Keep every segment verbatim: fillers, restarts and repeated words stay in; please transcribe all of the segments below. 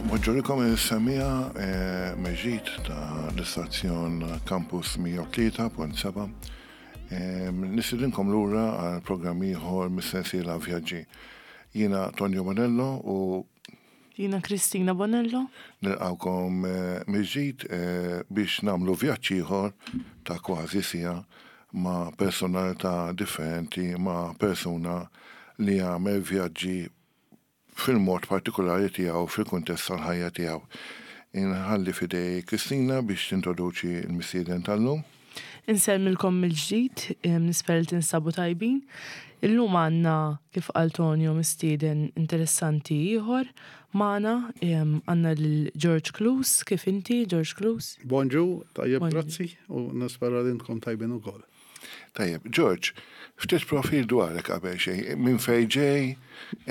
Npoġġulikom il-semmiegħa eh, meġit ta' l-istazzjon Campus mija u tlieta punt seba'. Nistedinkom lura għal programm ieħor mis-sensiela Vjaġġi. Jiena Tonio Bonello u Jiena Kristina Bonello. Nilqawkom eh, mill-ġdid eh, biex nagħmlu vjaġġ ieħor ta' kważi siegħa ma' personalità differenti, ma' persuna li jagħmel vjaġġi fil-mod partikolari tiegħu, fil-kuntest tal-ħajja tiegħu. Inħalli f'idejn Kristina biex tintroduċi l-mistieden tal-lum. Insellmilkom mill-ġdid, nispera li tinsabu tajbin. Illum għandna, kif qal Tonio, mistieden interessanti ieħor magħna, għandna lil George Close. Kif inti, George Close? Bonġu, tajjeb. Bonġu. Grazzi, u nispera li intkom tajbin ukoll. Tajjeb, George, ftit profil dwarek qabel xejn, minn fej ġej,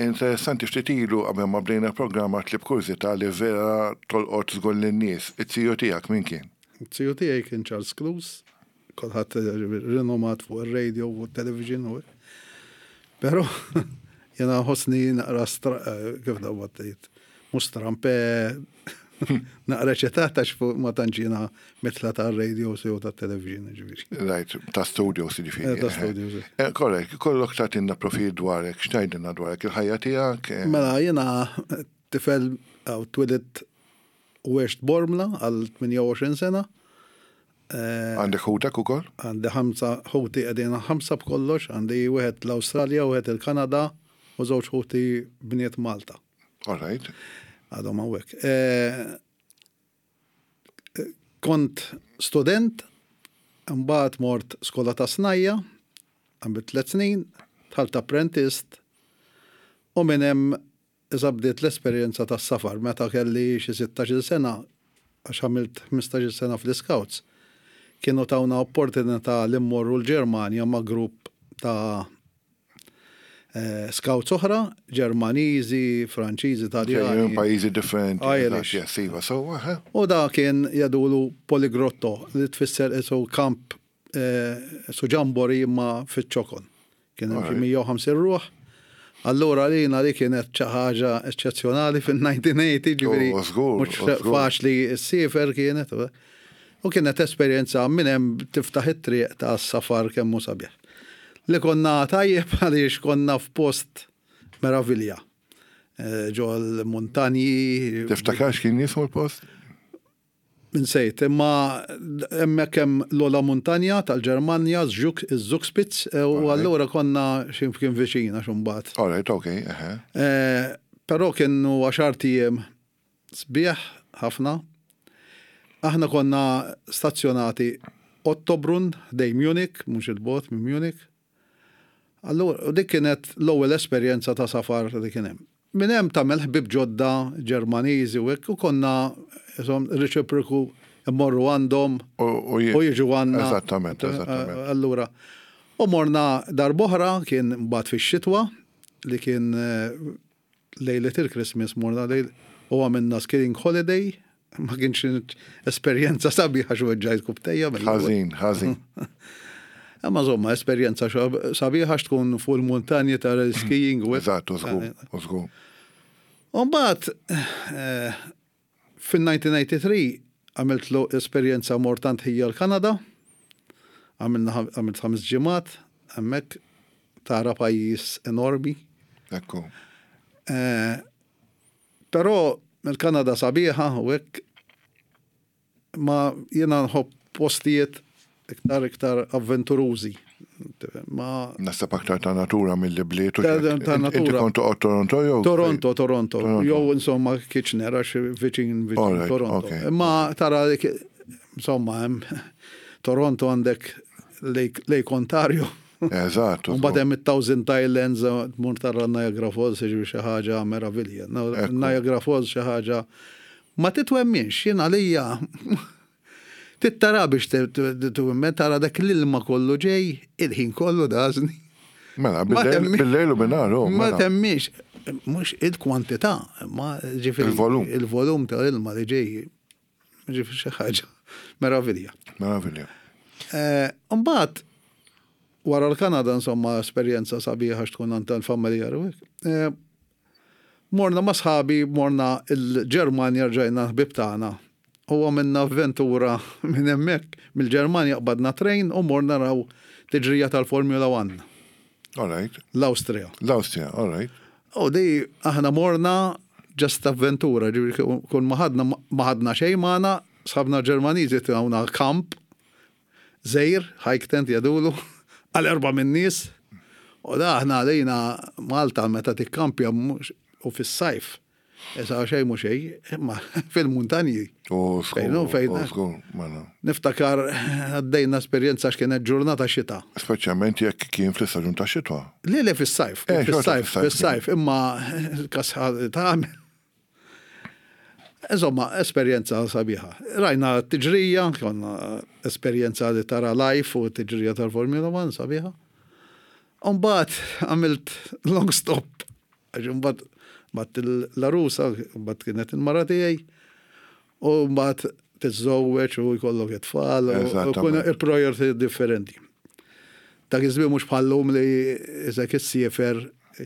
interessanti, ftit ilu qabel ma bdejna programma tlib kurżità li vera tolqot żgur lin-nies. It-tiju tiegħek min kien? Tiju tiegħi kien Charles Close, kulħadd rinomat fuq ir-radio u t-television u Però jena ħossni naqra stra, eh, kif da tgħid, mhux strampe, naqra ċetata fuq ma tantx jiena mitla tar-radio jew tat-television, ġifieri. Right, ta' studios ġifieri. Eh, ta' studios. Eh, Korrekt, kollok tagħtina profil dwarek, x'tgħidilna dwarek, il-ħajja tiegħek? eh, Mela, jena tifel għaw twelidt u għext Bormla għal tmienja u għoxrin sena. Eh, Għandek ħutek ukoll? Għandi ħamsa ħuti, qegħdin ħamsa b'kollox, għandi wieħed l-Awstralja, wieħed il-Kanada u żewġ ħuti bniet Malta. All right. Għadhom hawnhekk. Eh, Kont student, mbagħad mort skola ta' snajja, għamilt tliet snin, dħalt apprentist u minn hemm iżda bdiet l-esperjenza tas-safar meta kelli xi sittax-il sena, għax għamilt ħmistax-il sena fl-Scouts. Kienu tawna opportunità li mmorru l-Ġermanja ma' grupp ta' eh, scouts oħra, Ġermaniżi, Franċiżi, Ġejjin Taljani. pajjiżi differenti. Irish. Eżatt, yes, iva, so, eh, U da kien jgħidulu Poligrotto, li tfisser isu kamp, eh, su jamboree imma fiċ-ċokon. Kien hemm xi Alright. mija u ħamsin ruħ. Allura lina li kienet xi ħaġa eċċezzjonali fil-elf disa' mija u tmeninja, ġifieri Oh, żgur, mhux oh, żgur. faċli ssiefer kienet. U kienet esperjenza minn hemm tiftaħ it-triq ta' safar kemm hu sabiħ. Li konna tajjeb għaliex konna f'post meravilja. Eh, Ġo l-muntanji. Tiftakar x'kien jismu l-post? Insejt, imma hemmhekk hemm l-ogħla muntanja tal-Ġermanja, iż-Zugspitz, eh, u Alright. allura konna x'imkien viċin għax imbagħad. All right, okay, eħe. Eh, Però kienu għaxart ijiem sbieħ ħafna. Aħna konna stazzjonati Ottobrunn, ħdejn Munich, mhux il-bogħod minn Munich. Allura, u dik kienet l-ewwel esperjenza ta' safar li kien hemm. Minn hemm tagħmel ħbib ġodda Ġermaniżi u hekk, u konna insomma reċiproku immorru għandhom U u u jiġu għandna. Eżattament, eżattament. Allura, u morna darb'oħra, kien mbagħad fix-xitwa, li kien eh, lejlet il-Christmas morna lejl u għamilna skiing holiday, ma kienx esperjenza sabiħa xi weġġajt rkupptejja. mill-ewwel. Ħażin, ħażin. Imma insomma, esperjenza xa- sabiħa tkun fuq il-muntanji tal-skiing u hekk. Eżatt, u żgur, u żgur. U mbagħad eh, fil-elf disa' mija tnejn u tmenin għamilt lo esperjenza mort għand ħija l-Kanada, għamilna għamilt ħames ġimgħat, hemmhekk tara pajjiż enormi. Ekku. Eh, Però il-Kanada sabiħa u hekk, ma jiena nħobb postijiet iktar iktar avventurużi. Ma Naħseb aktar ta' natura mill bliet u Ta' xek. ta' Inti natura. kont toqgħod Toronto jew? Toronto, Toronto, Toronto. jew insomma Kitchener, għax viċin viċin Alright, Toronto. okay. Imma tara dik- insomma hemm Toronto għandek Lake, Lake Ontario. Eżatt. u Mbagħad żgur. hemm it-Thousand Islands, tmur tara Niagara Falls, jiġifieri xi ħaġa meravilja. No, Ekku. Niagara Falls xi ħaġa ma titwemminx, jien għalija tittara biex twemmen, tara dak l-ilma kollu ġej, il-ħin kollu dażni. Mela, Ma bil-lejl temmi- bil-lejl u bin-nhar, oh, Ma mela. temmix, mhux il-kwantità, ma ġifieri. Il-volum. Il-volum ta' ilma li ġej, ġifieri xi ħaġa meravilja. Meravilja. Eh, Mbagħad wara l-Kanada, insomma, esperjenza sabiħa tkun għand tal-familjar u hekk. Eh, Morna ma' sħabi, morna il-Ġermanja, rġajna ħbib tagħna. U għamilna avventura minn hemmhekk, mill-Ġermanja qbadna train u morna naraw tiġrija tal-Formula One, All right. l-Awstrija. L-Awstrija, all right. U di aħna morna just avventura, ġifieri kull ma ħadna ma ħadna xejn magħna, sħabna Ġermaniżi tawna kamp, żgħir, hike tent jgħidulu, għal erba' minn nies. U da aħna għalina Malta meta tikkampja mhux- u fis-sajf. Issa xejn mhu xejn, imma fil-muntanji. U Fejn hu, żgur, fejn- u żgur, mela. Niftakar għaddejna esperjenza x'kienet ġurnata xita. Speċjalment jekk kien fl-istaġun ta' xitwa. Le le fis-sajf, Eh, xorta fis-sajf, fis-sajf, fis-sajf, imma kasħa ta' Insomma, esperjenza sabiħa. Rajna t-tiġrija, konna esperjenza li tara live u t-tiġrija tal-Formula One sabiħa. Umbagħad għamilt long stop. Għax umbagħad bat l-għarusa, mbagħad kienet il-mara tiegħi, u mbagħad tiżżewweġ u jkollok it-tfal, u Eżattament. kun il-priority differenti. Dak iż-żmien mhux bħallum li iżek issiefer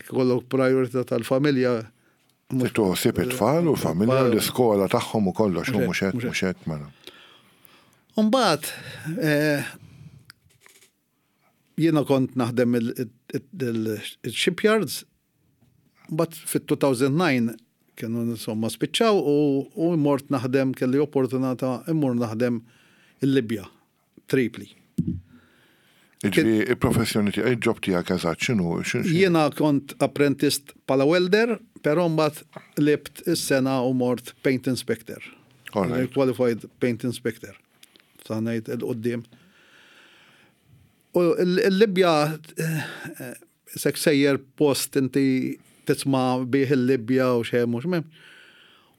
kollok priority tal-familja. mhux- Toħsib it-tfal u l-familja, Tfal. l-iskola tagħhom u kollox, u mhux hekk, Mhux mhux hekk, mela. Umbagħad, eh, jiena kont naħdem il-shipyards, but fit-two thousand nine kienu insomma spiċċaw u, u mort naħdem, kelli opportunità immur naħdem il-Libja, Tripli. Ġifieri, il-professjoni tiegħek, il-job tiegħek eżatt x'inhu? x'inhu- Jiena kont apprentist bħala welder, però mbagħad qlibt is-sengħa u mort paint inspector. All right. Qualified paint inspector. Sa ngħid il-qoddim. U il-Libja eh, sek sejjer post inti tisma' bih il-Libja u xem u xmem.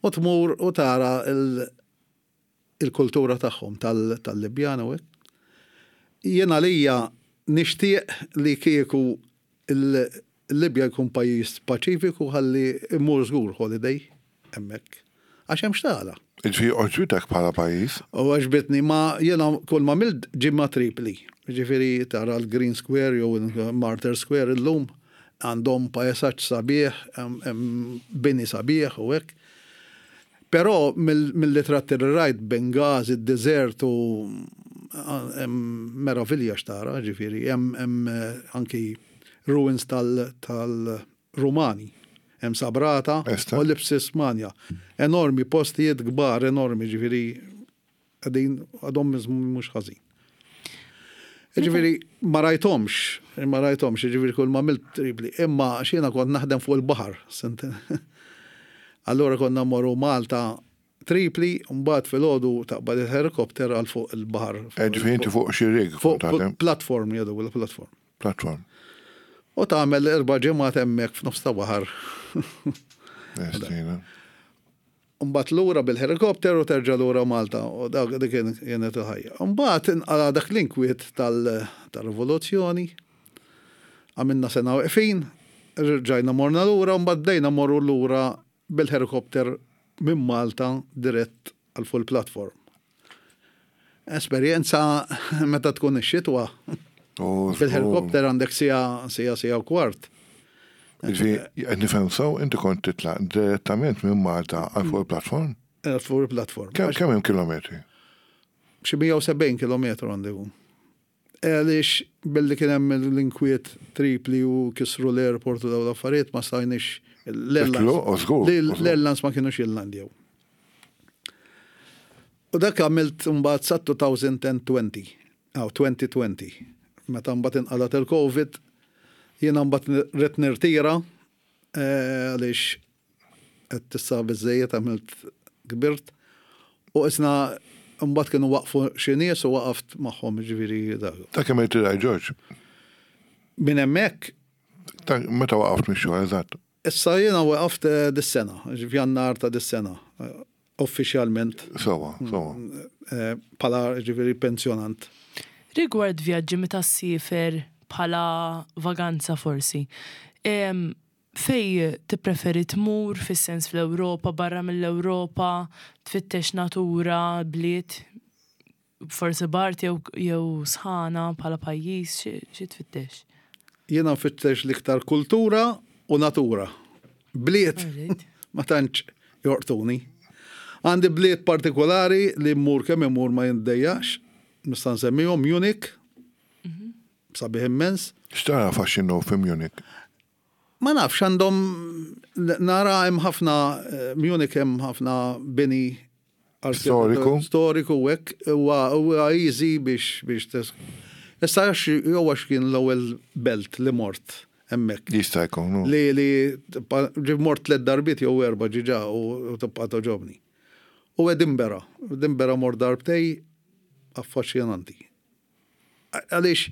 U tmur u tara il- il-kultura tagħhom tal- tal-Libjana u hekk. Jiena lija nixtieq li kieku il-Libja jkun pajjiż paċifiku ħalli immur żgur holiday hemmhekk. Għax hemm x'tara. Ġifieri għoġbitek bħala pajjiż? U għoġbitni, ma jiena kull ma għamilt ġimgħa Tripli. Ġifieri tara l-Green Square jew il-Martyr Square illum għandhom pajsaġġ sabiħ, hemm- hemm bini sabiħ u hekk. Però mill-litratti li rajt Benghazi, id-desert u hemm meravilja x'tara, ġifieri, hemm hemm, eh, anki ruins tal- tal-Rumani. Hemm Sabrata Esta. u Lepcis Magna. Enormi, postijiet kbar, enormi, ġifieri, għadin għadhom mhux ħażin. Ġifieri, ma rajthomx, ma rajthomx, ġifieri kull ma għamilt Tripli, imma jiena kont naħdem fuq il-baħar. sent- Allora konna morru Malta Tripli, mbagħad filgħodu taqbad il-helikopter għal fuq il-baħar. Ġifieri inti fuq xi rig Fuq kont taħdem? Platform, jgħidu, platform. Platform. U tagħmel erba' ġimgħat hemmhekk f'nofs ta' baħar. Estina. Mbagħad lura bil-helikopter u terġa' lura Malta u dak dik kien- kienet il-ħajja. Mbagħad inqala dak l-inkwiet tal- tal-rivoluzzjoni. Għamilna sena weqfin, rġajna morna lura, mbagħad bdejna morru lura bil-helikopter minn Malta dirett għal full platform. Esperjenza meta tkun ix-xitwa. U Bil-helikopter għandek siegħa, siegħa, siegħa u kwart. Ġifieri, qed nifhem sew, inti kont titlaq direttament minn Malta għal fuq il-platform? Għal fuq il-platform. Kemm kemm hemm kilometri? Xi mija u sebgħin kilometru għandu. Għaliex billi kien hemm l-inkwiet Tripli u kisru l-airport u daw l-affarijiet ma stajniex Titlu, u żgur, u żgur. l-airlines ma kienux jillandjaw. U dak għamilt mbagħad sa elfejn u għoxrin, aw elfejn u għoxrin. Meta mbagħad inqalat il-Covid, jiena mbagħad ridt nirtira eh, għaliex qed tista' biżejjed għamilt, kbirt. U isna mbagħad kienu waqfu xi nies u waqaft magħhom, ġifieri dak. Ta' kemm irtiraj, George? Minn hemmhekk Ta' meta waqaft mix-xogħol eżatt? Issa jiena waqaft eh, dis-sena, f'Jannar ta' dis-sena, eh, uffiċjalment Sewwa, sewwa. eh, bħala ġifieri pensjonant. Rigward vjaġġi meta ssiefer bħala vaganza forsi, em, fej tippreferi tmur, fis-sens fl-Ewropa, barra mill-Ewropa, tfittex natura, bliet, forsi bard jew jew sħana bħala pajjiż, xi- xi tfittex? Jiena nfittex l-iktar kultura u natura. Bliet ma tantx jolqtuni. Għandi bliet partikolari li mmur kemm immur ma jiddejjaqx, nista' nsemmihom Munich, sabiħ immens. X'tara faxxinu fi Munich? Ma nafx, għandhom, nara hemm ħafna, eh, Munich hemm ħafna bini Storiku. Storiku u hekk, huwa huwa easy biex biex tes. Issa għax jew għax kien l-ewwel belt li mort hemmhekk. Jista' jkun. no? Li li tibqa- ġib mort tliet darbiet jew erba' ġiġa u u tibqa' togħġobni. U Edinburgh, Edinburgh mort darbtejn, affaxxinanti. Għaliex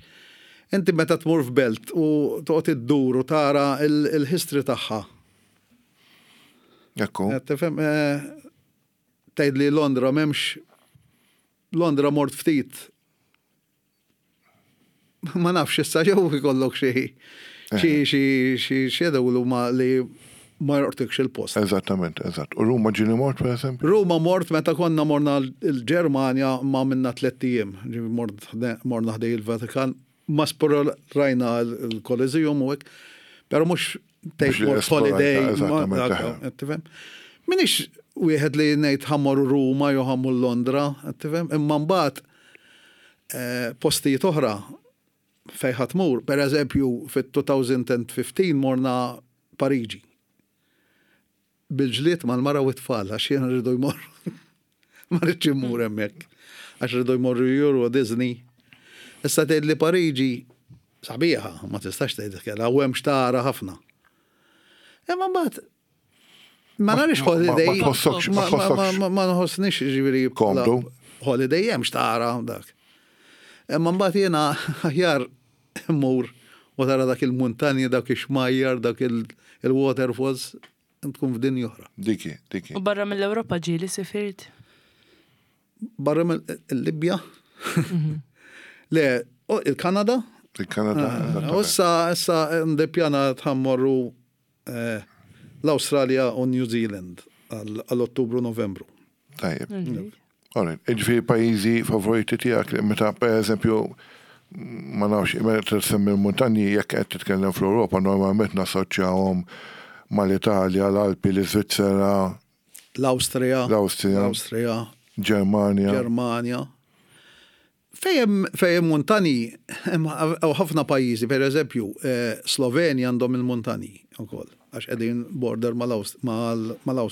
inti meta tmur f'belt u toqgħod iddur u tara il- il-history tagħha. Ekku. Qed Tifhem, eh, tgħid li Londra m'hemmx, Londra mort ftit. Ma nafx issa jew ikollok xi xi xi xi xi jgħidulu ma li ma jolqtikx il-post. Eżattament, eżatt. U Ruma ġieli mort, per eżempju? Ruma mort meta konna morna l-Ġermanja ma minna tlett ijiem. Ġifieri mort morna ħdejn il-Vatikan, ma rajna il-Coliseum u hekk, pero mhux tgħid li mort holiday. esplorajta, ma- eżattament, dak, eħe. qed tifhem? Minix wieħed li ngħid ħa mmur Ruma jew ħa mmur Londra, qed tifhem? Imma mbagħad eh, postijiet oħra fejn ħa tmur, per eżempju fit-elfejn u ħmistax morna Pariġi. Bil-ġlied mal-mara u t-tfal, għax jena rridu jmorru. Ma rridx immur hemmhekk. Għax rridu jmorru Euro Disney. Issa tgħid li Pariġi sabiħa, ma tistax tgħid kella, u hemm xtara ħafna. Imma mbagħad ma narix Ma- ma- holiday. ma tħossokx- ma Ma- ma- tħossokx. ma- Ma nħossnix ġifieri bħala Komdu. Holiday hemm xtara dak. Imma mbagħad jiena aħjar immur u tara dak il-muntanji, dak ix-xmajjar, dak il- il-waterfalls, tkun f'dinja oħra. Diki, diki. U barra mill-Ewropa ġieli sifirt? Barra mill-Libja? Le, u il-Kanada? Il-Kanada. U eżattament. issa, issa ndepjana ħa mmorru eh, l-Australia u New Zealand għall-Ottubru Novembru. Tajjeb. Alright, ġifieri pajjiżi favoriti tiegħek li meta per eżempju ma nafx, meta tsemmi l-muntanji jekk qed titkellem fl-Ewropa normalment nassoċjahom mal-Italja, l-Alpi, l-Iżvizzera, L-Awstrija, L-Awstrija. l-Awstrija, Ġermanja. Ġermanja. Fejn fejn muntani, hemm ħafna pajjiżi, per eżempju, eh, Slovenja għandhom il-muntani ukoll, għax qegħdin border mal-Awstrija. Mal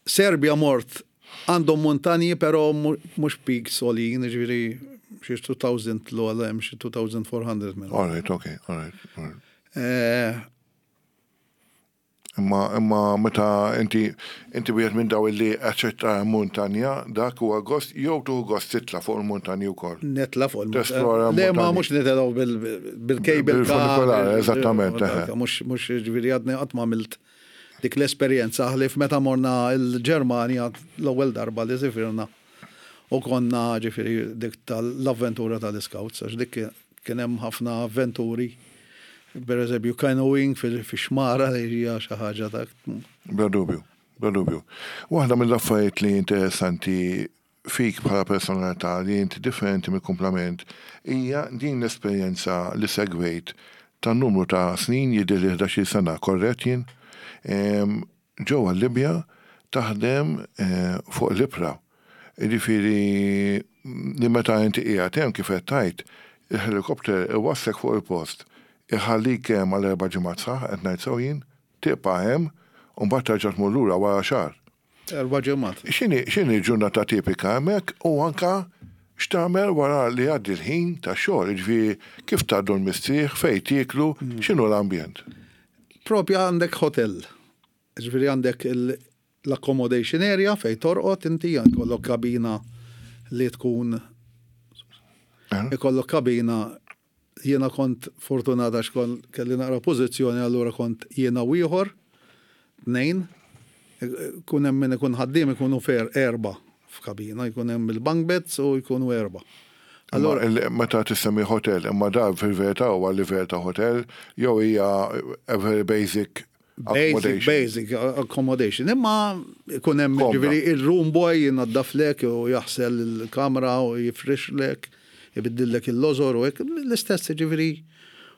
Serbia mort għandhom muntani, pero mhux peaks għoljin, ġifieri xi elfejn l hemm xi elfejn u erba' mija minn. All right, okay, all right. All right. Eh, Imma imma meta inti inti wieħed minn daw li aċċetta muntanja, dak huwa gost jew tuħu gost titla' fuq il-muntanji wkoll. Nitla' fuq Tesplora Le, ma muntanji. mhux nitilgħu bil-cable Bil-funicolare, eżattament, eħe. Mhux mhux ġifieri għadni qatt ma għamilt dik l-esperjenza ħlief meta morna il-Ġermanja l-ewwel darba li sifirna u konna ġifieri dik tal-avventura tal-Scouts, għax dik kien hemm ħafna avventuri. Per eżempju, canoeing fil-xmara li hija xi ħaġa ta' Bla dubju, bla dubju. Waħda mill-affarijiet li interessanti fik bħala personalità li inti differenti mill-kumplament hija din l-esperjenza li segwejt ta' numru ta' snin, jidher li ħdax-il sena, korrett jien? Em, Ġewwa Libja taħdem eh, fuq l-ibħra. Jiġifieri li meta inti qiegħed hemm, kif qed tgħid, il-helikopter iwasslek fuq il-post, iħallik hemm għal erba' ġimgħat sħaħ, qed ngħid sew jien, tibqa' hemm u mbagħad terġa' tmur lura wara xahar. Erba' ġimgħat. X'inhi x'inhi ġurnata tipika hemmhekk u anka x'tagħmel wara li jgħaddi l-ħin ta' xogħol, jiġifieri kif tgħaddu l-mistrieħ, fejn tieklu, x'inhu l-ambjent? Propja għandek hotel. Ġifieri għandek il- l-accommodation area fej torqod inti, jkollok kabina li tkun Eh? ikollok kabina. Jiena kont fortunata għax kon kelli naqra pożizzjoni, allura kont jiena u ieħor, tnejn, kun hemm min ikun ħaddiem, ikunu fer erba' f'kabina, jkun hemm il-bunk beds u jkunu erba'. Allora, meta tissemmi hotel, imma dar fil-verità huwa livell ta' hotel jew hija a very basic Basic, accommodation? Basic accommodation. Imma ikun hemm Komda. ġifieri il-room boy jinaddaflek u jaħsel il-kamra u jifrixlek, ibiddillek il-lożor u hekk, l-istess ġifieri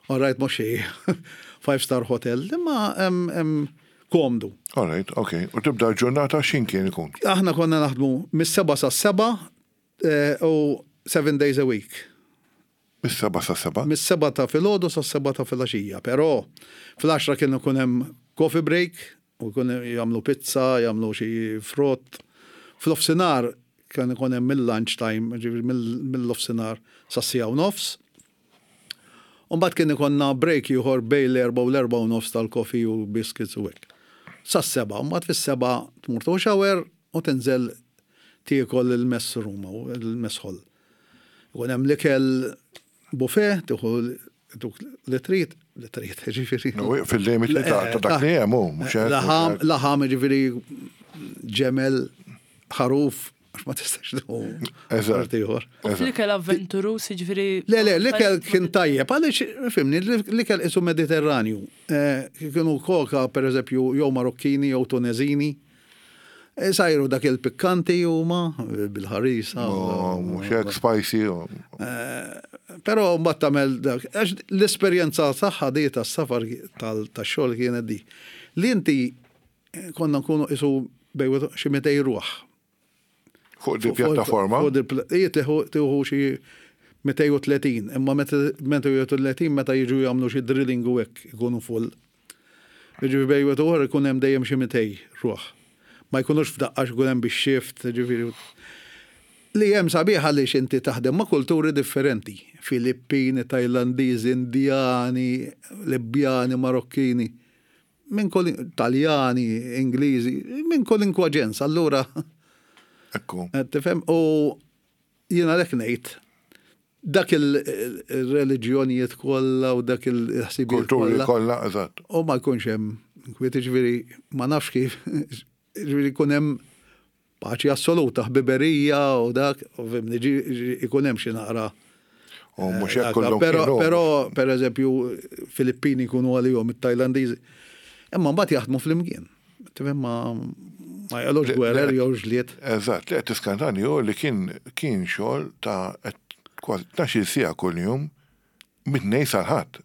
All right, mhux xi five star hotel, imma hemm komdu. All right, ok. U tibda l-ġurnata x'ħin kien ikun? Aħna konna naħdmu mis-seba sa seba eh, u seven days a week. Mis-seba sa seba? Mis-seba ta' filgħodu sa seba ta' filgħaxija, però fl-għaxra kien ikun hemm coffee break u jkun jagħmlu pizza, jagħmlu xi frott. F'nofsinhar kien ikun hemm mill-lunch time, ġifieri mill-nofsinhar sa siegħa u nofs. U mbagħad kien ikollna break ieħor bejn l-erba' u l-erba' u nofs tal-coffee u biscuits u hekk. Sa seba, u mbagħad fis-seba tmur tieħu shower u tinżel tiekol il-mess room u il-mess hall. Ikun hemm l-ikel buffet, tieħu li trid, li trid, ġifieri. Fil-limiti ta' dak li hemm hu, mhux hekk? Laħam, laħam ġifieri ġemel, ħaruf, għax ma tistax tieħu. Eżatt. ieħor. U fl-ikel avventurus, ġifieri. Le, le, l-ikel kien tajjeb, għaliex, fhimni, l-ikel isu mediterranju. Eh, Kienu koka, per eżempju, jew Marokkini, jew Tunezini. Eh, Sajru dak il-pikkanti huma bil-ħarisa. Oh, mhux hekk spicy. oh. Però mbagħad tagħmel dak, għax l-esperjenza tagħha di tas-safar tax-xogħol kienet di. Li inti eh, konna nkunu isu bejn xi mitej ruħ. Fuq di pjattaforma. Fuq di pla- Ija tieħu xi mitejn u tletin, imma mitejn u tletin meta jiġu jagħmlu xi drilling u hekk ikunu full. Ġifieri bejn wieħed u ieħor ikun hemm dejjem xi mitej ruħ. Ma jkunux f'daqqa ikun hemm bix-shift, ġifieri. Li hemm sabiħ għaliex inti taħdem ma' kulturi differenti. Filippini, Tajlandiżi, Indjani, Libjani, Marokkini, minn kull Taljani, Ingliżi, minn kull inkwaġenz. Allura, Ekku. tifhem, u jiena lek ngħid, dak il-reliġjonijiet kollha u dak il-ħsibijiet Kulturi kollha. kollha, eżatt. U ma jkunx hemm kwiet, ġifieri ma nafx kif, ġifieri jkun hemm paċi assoluta, ħbiberija u dak, u fhimni, ġi- ġi- ikun hemm xi naqra. U mhux hekk Dak, kollhom Però, kienu. però, per eżempju, Filippini jkunu għalihom, it-Tajlandiżi. Imma mbagħad jaħdmu flimkien. Tifhem, ma ma jgħalux Le- gwerer le- jew ġlied. Eżatt, li qed tiskantani hu li kien kien xogħol ta' kważi tnax-il siegħa kuljum mit-Tnejn sal-Ħadd.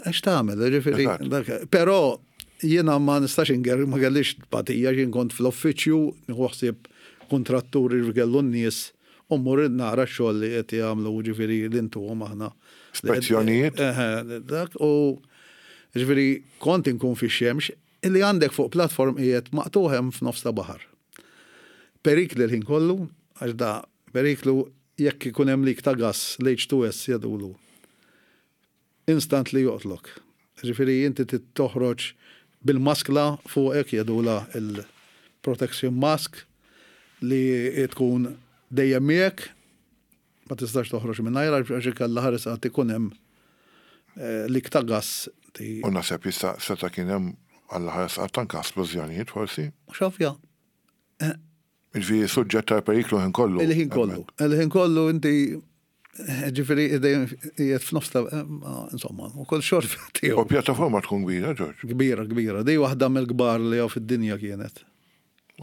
Għax tagħmel, ġifieri. Eżatt. dak- Però jiena ma nistax inger, ma kellix tbatija, jien kont fl-uffiċċju, nieħu ħsieb kontratturi li kellu n-nies, u mmur nara x-xogħol li qed jagħmlu, ġifieri l-intuhom aħna. Spezzjonijiet? Eħe, dak u ġifieri kont inkun fix-xemx illi għandek fuq platform qiegħed maqtugħ hemm f'nofs ta' baħar. Perikli l-ħin kollu, għax da periklu jekk ikun hemm leak ta' gas, l-H two S jgħidulu. Instant li joqtlok. Ġifieri inti trid toħroġ bil-maskla fuqek, jgħidula il-protection mask, li tkun dejjem miegħek, ma tistax toħroġ minn għax ikalla ħares għad ikun hemm eh, leak ta' gas. Ti- U naħseb jista' seta' kien hemm għalla ħares għad anke splużjonijiet forsi. Xafja, Ġifieri suġġett ta' periklu ħin kollu. Il-ħin kollu. Il-ħin kollu inti, ġifieri dejjem qiegħed f'nofs ta' eh, insomma, u kull xorf U tiegħu. pjattaforma tkun kbira, George. Kbira, kbira. Di waħda mill-kbar li hawn fid-dinja kienet.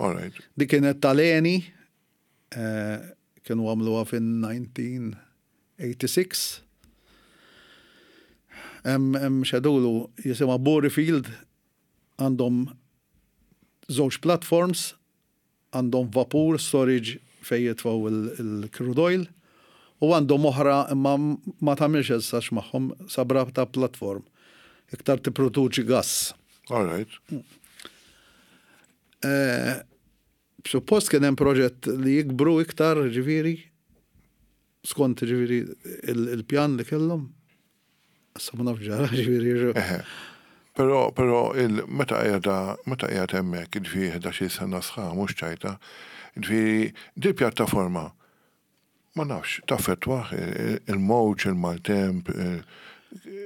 All right. Di kienet tal-Eni, eh, kienu għamluha fin-elf disa' mija u tmienja u disgħin. Hemm hemm xedulu jisimha Bori Field, għandhom żewġ platforms, għandhom vapur storage fejn jitfgħu il-crude oil u għandhom oħra imma ma tagħmilx essax magħhom sabra ta' platform. Iktar tipproduċi gas. All right. Eh, Suppost kien hemm proġett li jikbru iktar, ġifieri, skont ġifieri il- il-pjan li kellhom. Issa ma nafx ġara, ġifieri. Eħe. Però, però, il, meta qiegħda, meta qiegħed hemmhekk, ġifieri ħdax-il sena sħaħ, mhux ċajta, ġifieri di pjattaforma ma nafx, taffettwa il-mowġ, il-maltemp,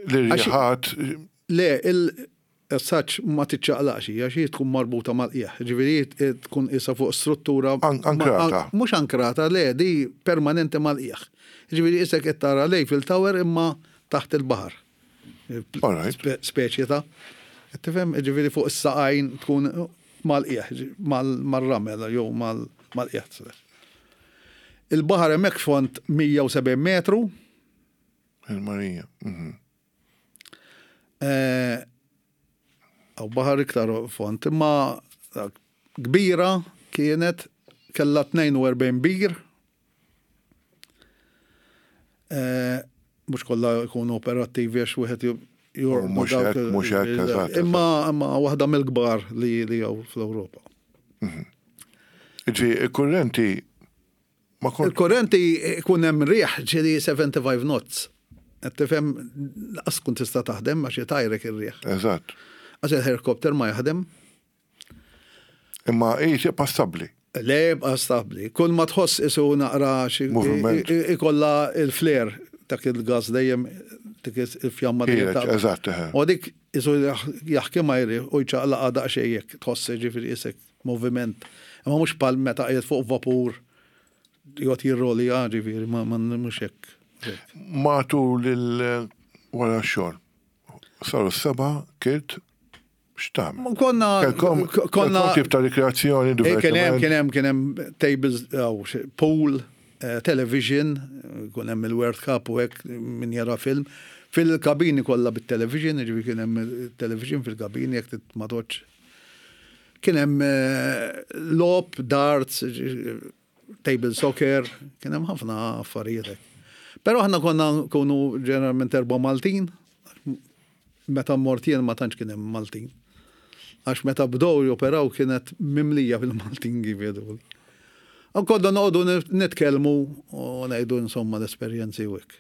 l-irjiħat? Le, il-saċ ma tiċċaqlaqx, għax hi tkun marbuta mal-qiegħ. Ġifieri tkun isa fuq struttura. An- ankrata. ma- Mhux ankrata, le, di permanenti mal-qiegħ. Ġifieri isek qed tara l-Eiffel Tower imma taħt il-baħar. All right. Spe- Speċi ta' tifhem, ġifieri fuq is-saqajn tkun mal-qiegħ, mal-ramel jew mal-qiegħ. Il-baħar hemmhekk fond mija u sebgħin metru, Il-Marija. mhm. Eh, Aw baħar iktar fond, imma kbira kienet, kella tnejn u erbgħin bir. Eh, Mhux kollha jkunu operattivi għax wieħed jorqdu Mhux dawk hekk, il- mhux hekk, eżatt. Imma imma waħda mill-kbar li li hawn fl-Ewropa. Ġi, il-kurrenti ma kont. Il-korrenti ikun hemm riħ ġieli sebgħa u sebgħin knots. Qed tifhem, lanqas tkun tista' taħdem għax itajrek ir-riħ. Eżatt. Għax il-helikopter ma jaħdem. Imma hi tibqa' stabbli. Le, jibqa' stabbli. Kull ma tħoss isu naqra xi Moviment. i- i- ikolla il-flare, dak il-gas dejjem, dik il-fjamma dejjem Ħiereġ, ta' eżatt, eħe. U dik isu jaħki ma jri u jċaqlaqa daqsxejn jekk tħoss, ġifieri isek moviment. Imma mhux pal meta qiegħed fuq vapur jgħod jirroli, ġifieri ma ma mhux hekk. Matul il wara x-xogħol. Saru s-seba, kilt, x'tagħmel? Ma Konna Kelkom konna kelkom tip ta' rikreazzjoni, Eh, Kien hemm divertiment. kien hemm kien hemm tables, aw, xi- pool, eh, television, kien hemm il-World Cup u hekk, min jara film. Fil-kabini kollha bit-television, ġifieri kien hemm television fil-kabini jekk tit ma toċ. Kien hemm eh, logħob, darts, ġi- table soccer, kien hemm ħafna affarijiet hekk. Però aħna konna nkunu ġeneralment erba' Maltin, meta mort jien ma tantx kien hemm Maltin. Għax meta bdew joperaw kienet mimlija bil-Maltin, kif jgħidu. U konna noqogħdu nitkellmu u ngħidu insomma l-esperjenzi u hekk.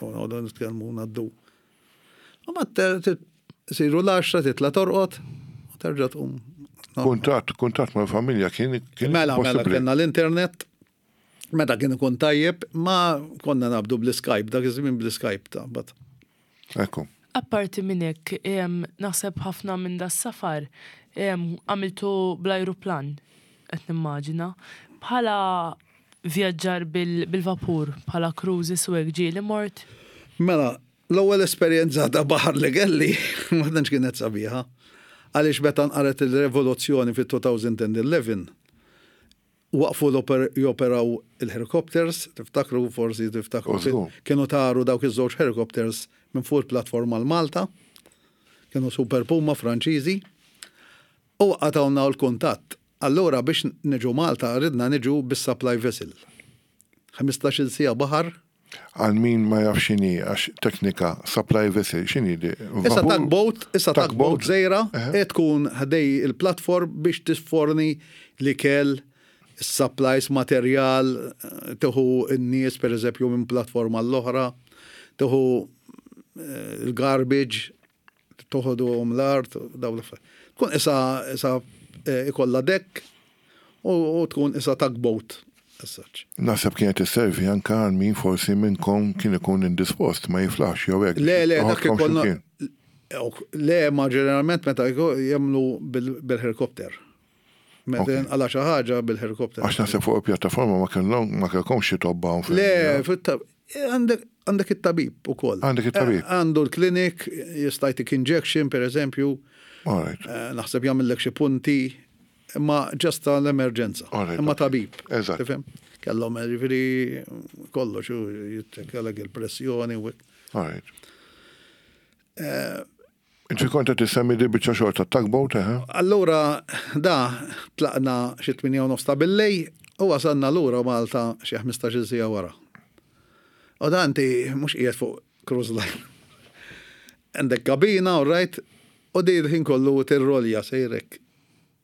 U noqogħdu nitkellmu ngħaddu. U ma siru l-għaxra titla' torqod u terġa' tqum. Kuntatt, kuntatt mal-familja kien kien Mela, mela, possibbli. kellna l-internet, meta kien ikun tajjeb, ma konna nabdu bl-Skype, dak iż-żmien bl-Skype ta' bat. Ekku. Apparti minn hekk, em, naħseb ħafna minn da safar em, għamiltu bl-ajruplan, qed nimmaġina. Bħala vjaġġar bil- bil-vapur, bħala cruises u hekk, ġieli mort? Mela, l-ewwel esperjenza ta' baħar li kelli ma tantx kienet sabiħa. Għaliex meta nqaret il-revoluzzjoni fit-elfejn u għaxra waqfu l-oper- joperaw il-helicopters, tiftakru forsi, tiftakru Użgur. kienu taru dawk iż-żewġ helicopters minn fuq il-platforma l-Malta, kienu Super Puma Franċiżi, u qatawna l-kuntatt. Allura biex niġu Malta ridna niġu bis-supply vessel. ħmistax-il siegħa baħar. Għal min ma jaf x'inhi, għax teknika, supply vessel, x'inhi di? Issa Vapur? tugboat, issa tugboat żgħira, Eħe. e tkun ħdej il-platform biex tisforni l-ikel, supplies, materjal, eh, tieħu n-nies per eżempju minn platforma l-oħra, tieħu eh, il-garbage, toħodu l-art, daw l-affarijiet. Tkun issa issa eh, ikolla deck u u tkun issa tugboat. As such. Naħseb kienet isservi anka għal min forsi minnkom kien ikun indispost, ma jiflax jew hekk. Le, le, dak Toħodkom ikollna. x'imkien. Le, ma ġeneralment meta jko- jagħmlu bil- bil-helikopter. Meta Ok. għala xi ħaġa bil-helikopter. Għax naħseb fuq il-pjattaforma ma kellhom ma kellkomx xi tobba hawn Le, fit- għandek għandek it-tabib ukoll. Għandek it-tabib. Eh, Għandu l-klinik, jista' jtik injection, per eżempju, All right. eh, naħseb jagħmellek xi punti, imma just l-emerġenza. Alright, Imma ok. tabib. Eżatt. Tifhem? Kellhom ġifieri kollox u jiċċekkjalek il-pressjoni u hekk. All right. Eh, Inti kont qed tissemmi di biċċa xogħol ta' tugboat, eh? Allura, da, tlaqna xi tmienja u nofs ta' billejl u wasalna lura Malta xi ħmistax-il siegħa wara. U da inti mhux qiegħed fuq cruise line. Għandek kabina, all right, u di l-ħin kollu tirrolja sejrek.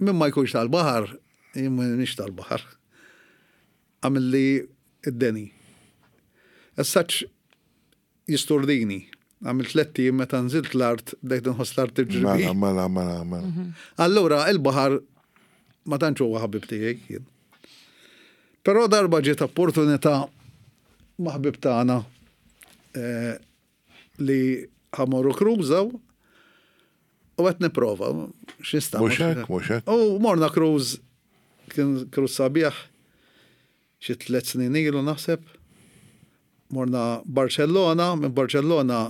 Min ma jkunx tal-baħar, jien m'iniex tal-baħar. Għamilli id-deni. As such jisturdini. Għamil tlett ijiem meta nżilt l-art, bdejt nħoss l-art tiġri. Mela, mela, mela, mela. Allura, il-baħar ma tantx huwa ħabib tiegħi jien. Però darba ġiet opportunità ma' ħbib tagħna eh, li ħa mmorru cruise u qed nipprova x'nista'. Mhux hekk, mhux hekk. U morna cruise, kien cruise sabiħ xi tliet snin ilu naħseb. Morna Barcellona, minn Barcellona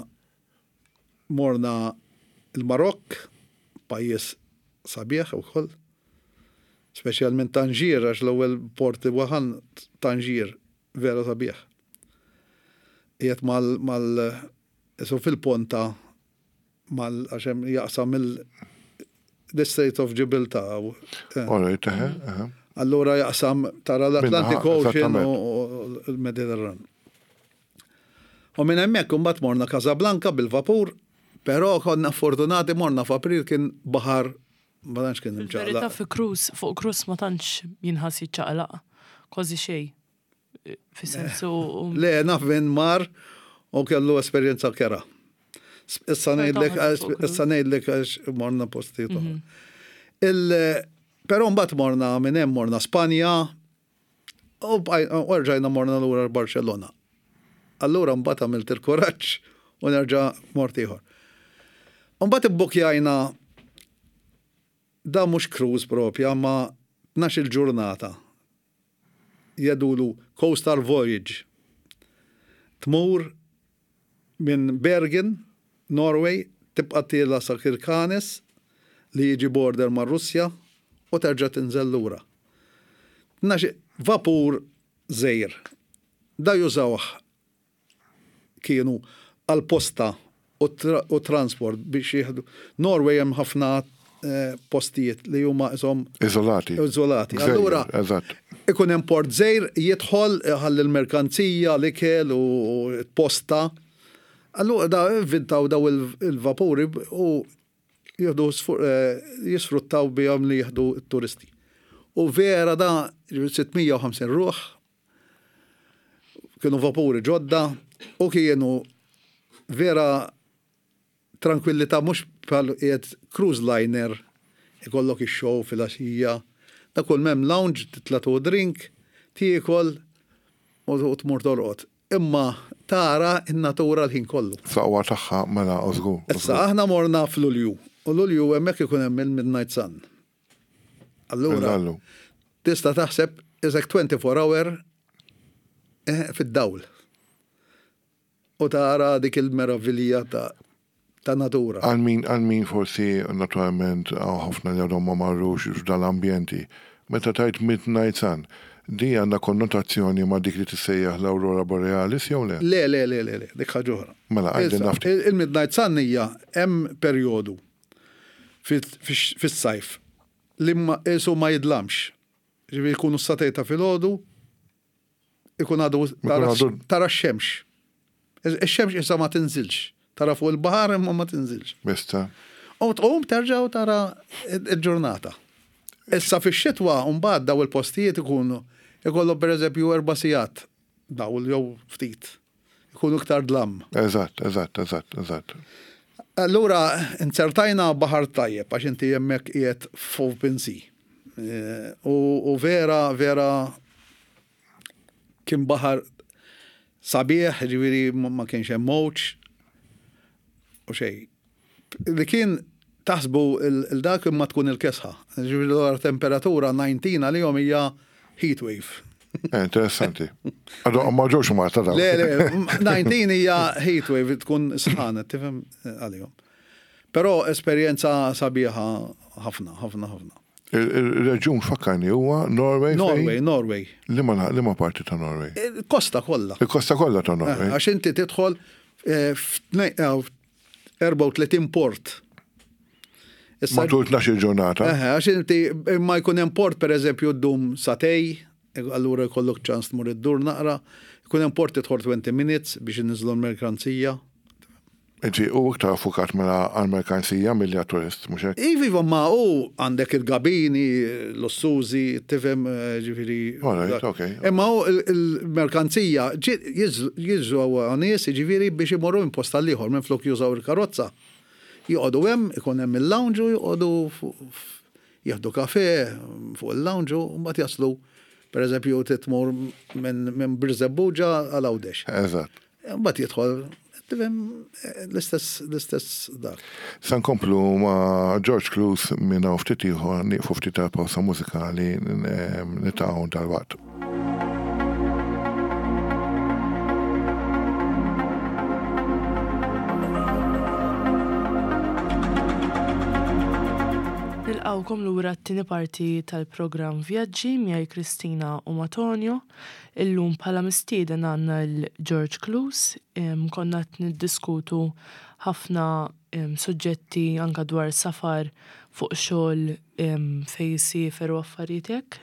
morna il-Marokk, pajjiż sabiħ ukoll. Speċjalment Tanġir, għax l-ewwel port li waħan Tanġir vera sabiħ. Qiegħed mal mal isu fil-ponta mal għax hemm jaqsam il the Strait of Gibraltar. Eh. All right, eħe, eħe. Allura jaqsam tara l-Atlantic Minnaħa, Ocean u eżattament. u l-Mediterran. U minn hemmhekk imbagħad morna Casablanca bil-vapur, però konna fortunati morna f'April kien baħar ma tantx kien Fil-verità imċaqlaq. fi cruise, fuq cruise ma tantx jinħass jiċċaqlaq. Kważi xejn. Fi sensu. Le, naf minn mar u kellu esperjenza kera. Issa ngħidlek fuq cruise. issa ngħidlek għax morna postijiet oħra. Il- Però mbagħad morna minn hemm morna Spanja u bqaj- u rġajna morna lura Barcellona. Allura mbagħad għamilt il-kuraġġ u nerġa' mort ieħor. U mbagħad ibbukjajna da mhux cruise propja ma tnax-il ġurnata. Jedulu Coastal Voyage. Tmur minn Bergen, Norway, tibqa' tiela sa Kirkenes li jiġi border ma' Russja u terġa' tinżel lura. Tnax vapur żgħir. Da jużawh kienu għal-posta u, tra u transport biex jieħdu. Norway hemm ħafna eh, postijiet li huma isom Izolati. Izolati. Gżejjer, Allura, Eżatt. ikun hemm port żgħir jidħol ħalli l-merkanzija, l-ikel u u posta. Allura da inventaw daw il- il-vapuri u jieħdu sfu- eh, jisfruttaw bihom li jieħdu t-turisti. U vera da sitt mija u ħamsin ruħ kienu vapuri ġodda u kienu vera tranquillità mhux bħal qiegħed cruise liner ikollok ix-show fil-għaxija. Da kull mem lounge, titla' tu drink, tiekol u u tmur torqod. Imma tara in-natura l-ħin kollu. Saqwa tagħha mela u żgur. u Issa żgur. aħna morna f'Lulju u Lulju hemmhekk ikun hemm il-Midnight Sun. Allura Illallu. tista' taħseb isek twenty-four hour eh, fid-dawl. U tara dik il-meravilja ta' ta' natura. Għal min, għal min forsi naturalment għaw ħafna li għadhom ma marrux f'dal-ambjenti. Meta tajt Midnight Sun, di għandha konnotazzjoni ma' dik li tissejjaħ l-Aurora Borealis jew le? Le, le, le, le, le, dik ħaġa oħra. Mela, għajdi Issa, nafti. il- Il-Midnight Sun hija hemm perjodu fis- fix- fis-sajf li ma isu ma jidlamx. Ġifieri jkunu s-sagħtejn ta' filgħodu ikun għadu tara għadu- tara x-xemx. Ix-xemx issa ma tinżilx. Tara fuq il-baħar imma ma tinżilx. Bista. U tqum terġa' u tara il-ġurnata. Issa fix-xitwa mbagħad daw il-postijiet ikunu ikollhom pereżempju erba' sigħat dawl jew ftit. Ikunu iktar dlam. Eżatt, eżatt, eżatt, eżatt. Allura inzertajna baħar tajjeb għax inti hemmhekk qiegħed f'open sea. Eh, U, u vera, vera kien baħar sabiħ, ġifieri ma ma kienx hemm mowġ u xejn. Li kien taħsbu il-dak imma tkun il-kesħa. Ġifieri l temperatura disa għalihom hija heat wave. Eh, interessanti. Għadu ma ġewx Malta daw. Le, le, disa hija heat wave tkun sħana, tifhem eh, għalihom. Però esperjenza sabiħa ħafna, ħafna, ħafna. Il-reġjun fakkarni huwa Norway. fejn? Norway, Norway. Liema liema parti ta' Norway? Il-kosta kollha. Il-kosta kollha ta' Norway. Eh, Għax inti tidħol eh, f'tnej- eh, erbgħa u tletin port. Issa Matul tnax-il ġurnata. Eħe, għax inti imma jkun hemm port pereżempju ddum sagħtejn, allura jkollok ċans tmur iddur naqra, jkun hemm port tidħol twenty minutes biex inniżlu l-merkanzija. Inti u iktar fukat mela għal-merkanzija milli għat-turist, mhux hekk? Iva, iva, ma u għandek il-gabini, l-ossużi, tifhem, eh, ġifieri. All right, okay. Imma u il- il-merkanzija jiġu nies ġifieri biex imorru minn post għall-ieħor minn flok jużaw il-karozza. Joqogħdu hemm, ikun hemm il-lounge u joqogħdu fuq- f- jieħdu kafe fuq il-lounge u mbagħad jaslu per eżempju titmur minn minn Birżebbuġa għal Għawdex. Eżatt. Mbagħad jidħol tifhem l-istess l-istess dak. Sa nkomplu ma' George Clous minn hawn ftit ieħor, nieqfu ftit ta' pawsa mużikali, nitaqgħu dalwaqt. Nilqawkom lura t-tieni parti tal-programm Vjaġġi miegħi Kristina u ma' Tonio. Illum bħala mistieden għandna l-George Clous, em, konna qed niddiskutu ħafna suġġetti anka dwar safar fuq xogħol fejn issiefer u affarijiet hekk.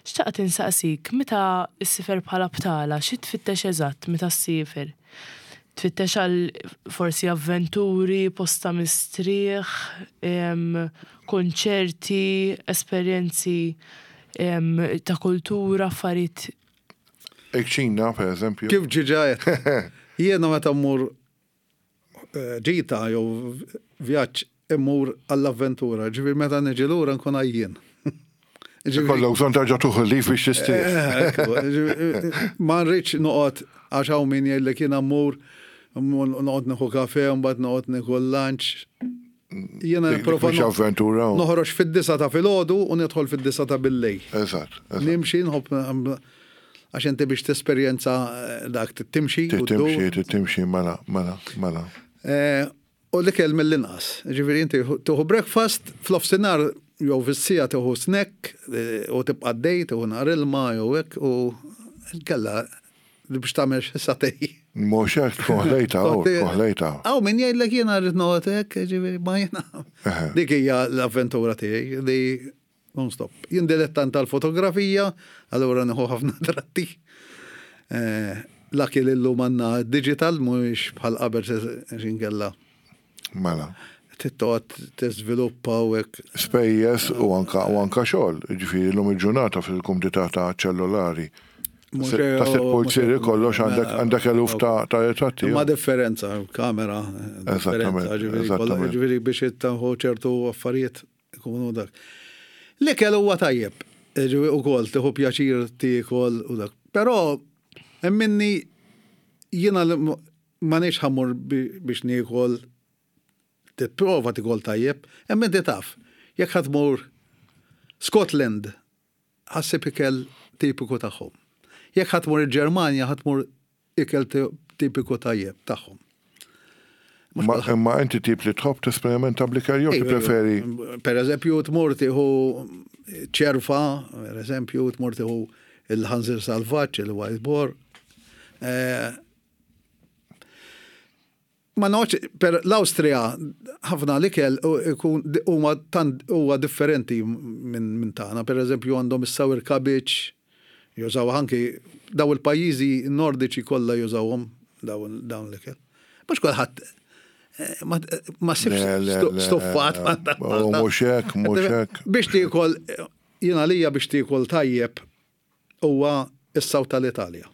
Xtaqt insaqsik, meta ssiefer bħala btala, xi tfittex eżatt meta ssiefer? Tfittex għal forsi avventuri, post ta' mistrieħ, konċerti, esperjenzi ta' kultura, affarijiet. Il-kċina, per eżempju. Kif ġiġa Jiena meta mmur eh, ġita jew vjaġġ immur għall-avventura, ġifieri meta niġi lura nkun għajjien. Kollok bżonn terġa' tuħu lif biex tistrieħ. Eh, ma nridx noqgħod għax hawn min jgħidlek jiena mmur noqgħod nieħu kafe mbagħad noqgħod nieħu lunch. Jiena nipprova avventura. Noħroġ fid-disa ta' filgħodu u nidħol fid-disa ta' billejl. Eżatt. Nimxi nħobb għax inti biex tesperjenza eh, dak timxi. Timxi, timxi, mela, mela, mela. Eh, u l-ikel mill-inqas. Ġifieri inti tieħu breakfast, fl-ofsinhar jew fis-sija tieħu snack eh, u tibqa' dej, tieħu nhar ilma jew hekk u kella biex tagħmel xi satej. Mhux hekk tkun ħlejta, tkun ħlejta. Aw min jgħidlek jiena rrid noqgħod hekk, ġifieri ma jiena. Dik hija l-avventura tiegħi li non-stop. Jien dilettant tal-fotografija, allura nieħu ħafna tratti. Eh, Laki li llum għandna digital mhuwiex bħal qabel xinkella. Mela. Tittoqgħod tiżviluppa u hekk. Spejjeż u anka u anka xogħol, ġifieri llum il-ġurnata fil-kumdità ta' ċellulari. Ta' sitt pulzieri kollox għandek għandek eluf ta' ritratti. Ma differenza, kamera. Eżattament. Ġifieri biex ittaħu ċertu affarijiet ikunu dak. L-ikel huwa tajjeb, ġifieri ukoll tieħu pjaċir tiekol u dak. Però minni jiena ma nix ħammur biex niekol tipprova tikol tajjeb, hemm inti taf. Jekk ħa tmur Scotland, ħassib ikel tipiku tagħhom. Jekk ħa tmur il-Ġermanja, ħa tmur ikel tipiku tajjeb tagħhom. Imma inti tip li tħobb tesperimenta bl-ikel jew tippreferi? Per eżempju, tmur tieħu ċerfa, per eżempju, tmur tieħu il-ħanżir salvaġġ, il-wild boar. Eh, ma noċ, per l-Awstrija ħafna l-ikel huma tant huwa differenti minn min tagħna. Per eżempju għandhom is-sour cabbage, jużaw anki daw il-pajjiżi nordiċi kollha jużawhom dawn l-ikel. Mhux kulħadd eh, ma sibx stuffat. Mhux hekk, mhux hekk. Biex tiekol, jiena lija biex tiekol tajjeb huwa is-saw tal-Italja.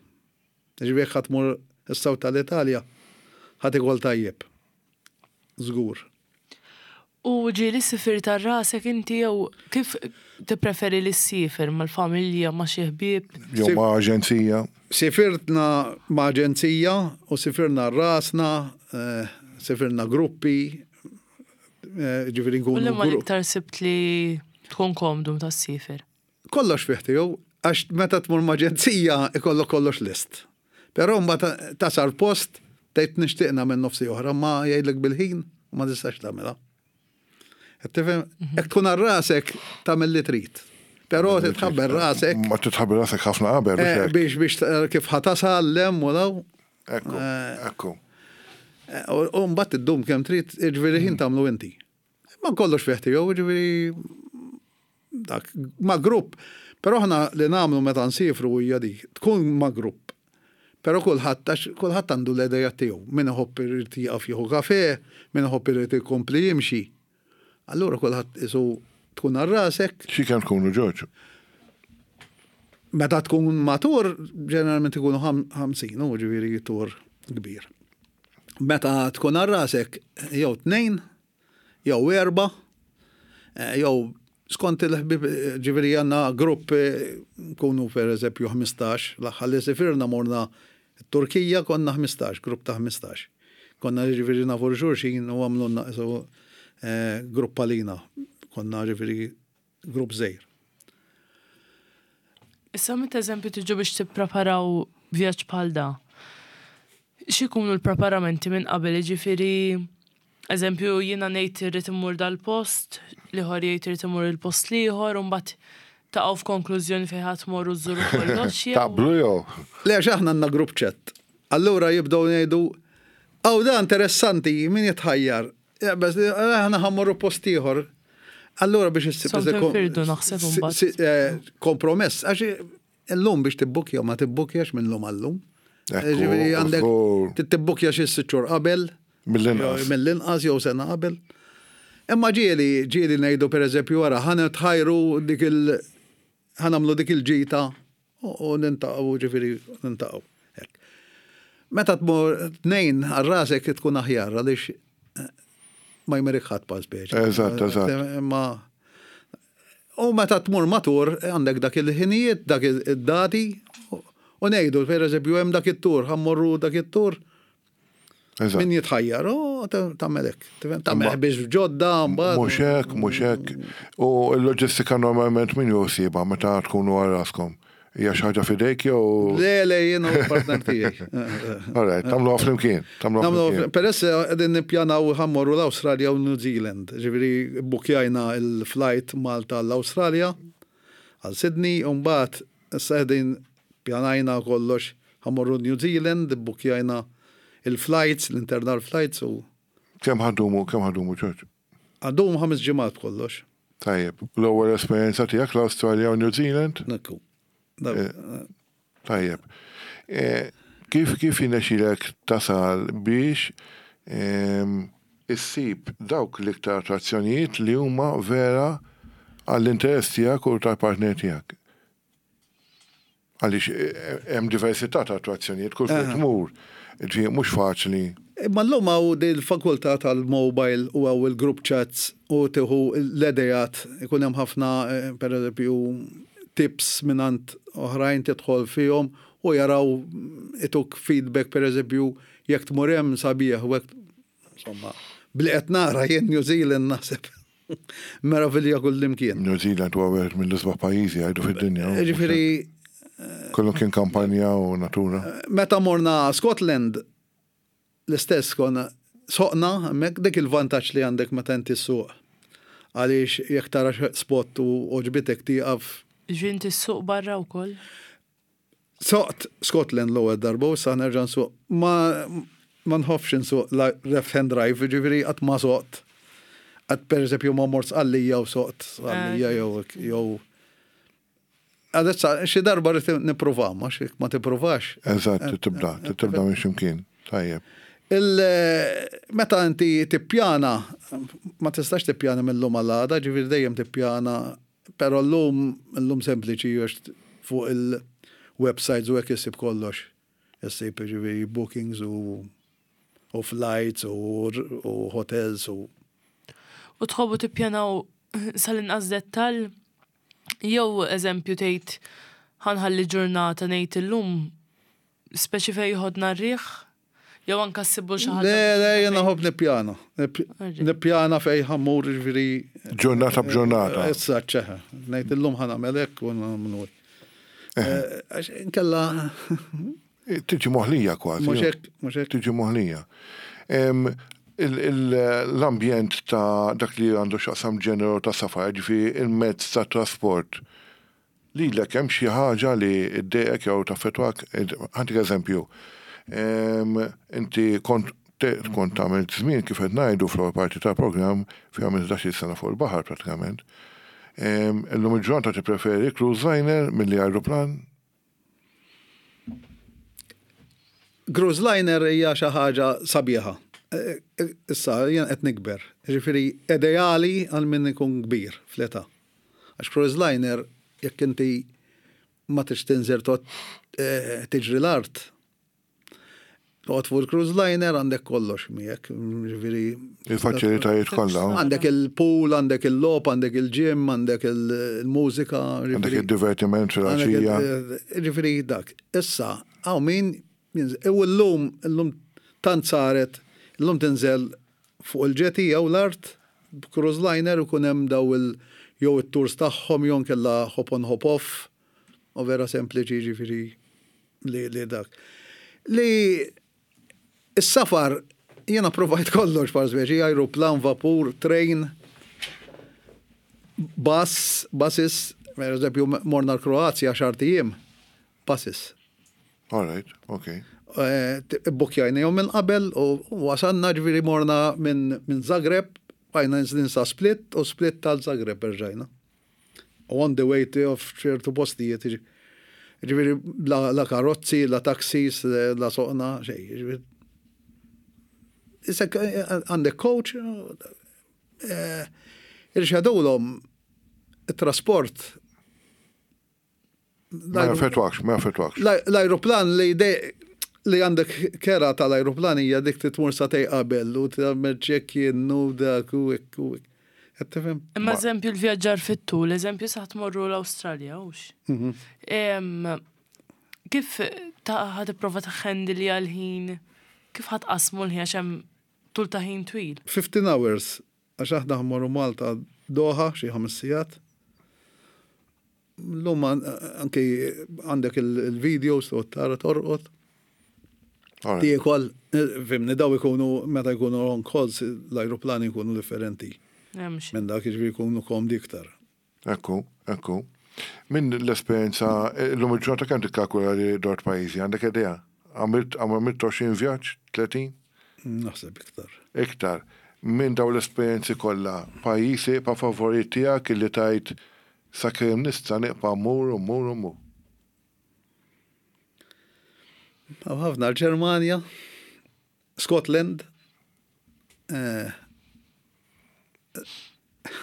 Ġifieri ħadd mur is-saw tal-Italja ħadd ikol tajjeb. Żgur. U ġieli sifirt għal rasek inti jew kif tippreferi li ssifer mal-familja, ma' xi ħbieb? Jew ma' aġenzija? Sifirtna ma' aġenzija u sifirna rasna, eh, sifirna gruppi, eh, ġifieri nkunu. U liema l-iktar sibt li tkun komdu meta ssifer? Kollox fih tiegħu, għax meta tmur ma' aġenzija ikollok kollox list. Però mbagħad tasal post tgħid nixtieq nagħmel nofsi oħra, ma jgħidlek bil-ħin u ma tistax tagħmilha. Qed tifhem? Jekk tkun għal rasek tagħmel li trid. Però titħabber rasek. Ma titħabber rasek ħafna qabel biex eh, hekk. Biex biex kif ħa tasal hemm u daw. Ekku, eh, ekku. Eh, u mbagħad iddum kemm trid, jiġifieri ħin tagħmlu inti. Ma kollox fih tiegħu, jiġifieri dak ma' grupp. Però aħna li nagħmlu meta nsifru hija dik, tkun ma' grupp. Però kulħadd għax kulħadd għandu l-idea tiegħu. Min iħobb irid jieqaf jieħu kafe, min iħobb irid ikompli jimxi. Allura kulħadd isu tkun għal rasek. Xi kemm tkunu Ġorġ? Meta tkun matur, ġeneralment ikunu ħamsin, u ġifieri tur kbir. Meta tkun għal rasek, jew tnejn, jew erba, eh, jew skont il-ħbib, ġifieri għandna grupp eh, nkunu per eżempju ħmistax, l-aħħar li sifirna morna Turkija konna ħmistax, grupp ta' ħmistax. Konna ġifieri nafu xulxin u għamlunna isu eh, grupp għalina. Konna ġifieri grupp żgħir. Issa meta eżempju tiġu biex tippreparaw vjaġġ bħal da, x'ikunu l-preparamenti minn qabel, jiġifieri eżempju jiena ngħid irrid immur dal-post, l-ieħor jgħid irid imur il-post l-ieħor, u mbagħad taqgħu f'konklużjoni fejn ħadd tmorru żżuru kollox jew. Taqblu jew? Le, għax aħna għandna group chat. Allura jibdew ngħidu Aw da interessanti, min jitħajjar. Bas, aħna ħa mmorru post ieħor. Allura biex issib Firdu naħseb imbagħad. Eh, kompromess, għax illum biex tibbukja ma tibbukjax minn lum għallum. Ġifieri għandek tibbukja xi sitt xhur qabel. Mill-inqas. Mill-inqas jew sena qabel. Imma ġieli, ġieli ngħidu pereżempju wara ħa nitħajru dik il ħa nagħmlu dik il-ġita u niltaqgħu ġifieri niltaqgħu. Meta tmur tnejn għal rasek tkun aħjar għaliex eh, ma jmerik ħadd pa speċi. Eżatt, eżatt. Ma U meta tmur matur għandek dak il-ħinijiet, dak id-dati, u ngħidu, per eżempju, hemm dak it-tur, ħa mmorru dak it-tur. Min jitħajjar, u tagħmel hekk. Tagħmel biex ġodda, mbagħad. Mhux hekk, mhux hekk. U l-loġistika normalment min josibha meta tkunu għal raskom? Hija xi ħaġa f'idejk jew? Le, le, jien u l-partner tiegħi. All right, tagħmluha flimkien. Tagħmluha Peress qegħdin nippjanaw ħa mmorru l-Awstralja u New Zealand. Ġifieri bukjajna il-flight Malta l-Awstralja għal Sydney u mbagħad issa qegħdin pjanajna kollox ħa mmorru New Zealand, bukjajna il-flights, l-internal flights u. Kemm ħa ddumu, kemm ħa ddumu, Ġorġ? Ħa ndumu ħames ġimgħat kollox. Tajjeb, l-ewwel esperjenza tiegħek l-Awstralja u New Zealand? Ekku. Eh, tajjeb. Eh, kif kif jirnexxilek tasal biex ehm, issib dawk l-iktar attrazzjonijiet li huma vera għall-interess tiegħek u tal-partner tiegħek? Għaliex eh, hemm diversità ta' attrazzjonijiet kull fejn tmur. Ġi mhux faċli. Imma llum hawn il-fakultà tal-mobile u hawn il-group chats u tieħu l-idejat, ikun hemm ħafna, per eżempju, tips mingħand oħrajn tidħol fihom u jaraw ituk feedback, per eżempju, jekk tmur hemm sabiħ u hekk, insomma, bli qed nara jien New Zealand naħseb meravilja kullimkien. New Zealand huwa wieħed mill-isbaħ pajjiżi jgħidu fid-dinja. Ġifieri Kollu kien kampanja u natura. Meta morna Scotland, l-istess konna soqna, hemmhekk dik il-vantaġġ li għandek meta inti ssuq. Għaliex jekk tara spot u għoġbitek tieqaf. Ġifieri inti ssuq barra wkoll? Soqt Scotland l-ewwel darba u issa nerġa' nsuq. Ma ma nħobbx insuq left hand drive, ġifieri qatt ma soqt. Qatt per eżempju ma mort Sqallija u soqt Sqallija jew jew Għadessa, xi darba rrid nipprova, ma xi ma tippruvax. Eżatt, tibda, tibda minn ximkien. Tajjeb. Meta inti tippjana, ma tistax tippjana mill-lum għal-għada, ġifieri dejjem tippjana, però llum llum sempliċi għax fuq il-websites u hekk issib kollox. Issib ġifieri bookings u u flights u, u hotels u. U tħobbu tippjanaw sal-inqas dettal? Jew eżempju tgħid ħa nħalli ġurnata ngħid illum speċi fejn jħodna r-riħ? Jew anka ssibu xi ħaġa. Le, le, jiena nħobb nippjana. Nippjana fejn ħa mmur ġifieri. Ġurnata b'ġurnata. Issa ċeħe. Ngħid illum ħa nagħmel hekk u nagħmlu. Għax inkella. Tiġi moħlija kważi. Mhux hekk, mhux hekk. Tiġi moħlija. L-ambjent ta' dak li għandu x'jaqsam ġeneru ta' safar, ġifieri il-mezz ta' trasport, lilek hemm xi ħaġa li ddejqek jew taffettwak? Ħa ntik eżempju. Inti kont kont tagħmel żmien kif qed ngħidu fl-ewwel parti tal-programm fi għamilt ħdax-il sena fuq il-baħar pratikament. Illum il-ġurnata tippreferi cruise liner milli ajruplan? Cruise liner hija xi ħaġa sabiħa. Issa jien qed nikber. Ġifieri ideali għal min ikun kbir fl-età. Għax cruise liner jekk inti ma tridx tinżel toqgħod tiġri l-art. Toqgħod fuq il-cruise liner għandek kollox miegħek, ġifieri. Il-faċilitajiet kollha. Għandek il-pool, għandek il-logħob, għandek il-gym, għandek il-mużika. Għandek il-divertiment fil-għaxija. Ġifieri dak. Issa, hawn min u llum, illum tant saret, illum tinżel fuq il-jetty jew l-art b'cruise liner u kun hemm daw il jew it-tours tagħhom jew nkella hop on hop off. U vera sempliċi ġifieri li, li dak. Li is-safar jiena provajt kollox par speċi, ajruplan, vapur, train, bus, buses, per eżempju morna l-Kroazja għaxart ijiem, buses. All right, okay. Eh, Bukjajna jom minn qabel u wasanna, ġifieri morna minn min Zagreb, bqajna nżlin sa Split u Split tal-Zagreb erġajna. U on the way to ċertu postijiet, ġifieri la, la karozzi, la taxis, la soqna, xejn. Ġifieri Isek għandek coach, eh, irxadulhom il-trasport. Ma jaffettwakx, ma jaffettwakx. L-aeroplan li de li għandek kera tal-aeroplan hija dik titmur sagħtejn qabel u tagħmel check-in u dak u hekk u hekk. Qed tifhem? Imma eżempju l-vjaġġar fit-tul, eżempju sa tmorru l-Awstralja, hux? Mhm. Em, Kif ta' ħa tipprova taħħendilja l-ħin? Kif ħa tqasmu l-ħin għax hemm tul ta' ħin twil? fifteen hours, għax aħna mmorru Malta Doha xi ħames sigħat. L-lum anke għandek il-videos u tara torqod. Alright. Tiekol, fhimni, daw ikunu, meta jkunu on calls, l-aeroplani jkunu differenti. Hemm xi. Minn dak, jiġifieri jkunu komdi iktar. Ekku, ekku. Minn l-esperienza, l-lum il-ġurnata kemm tikkalkula li dort pajjiżi, għandek idea? Għamilt għamilt għoxrin vjaġġ, tletin? Naħseb iktar. Iktar. Minn daw l-esperienzi kollha, pajjiżi pa favorit tiegħek li tajt sakemm nista' nibqa' mmur u mmur u mmur? Hawn ħafna, l-Ġermanja, Scotland, eh,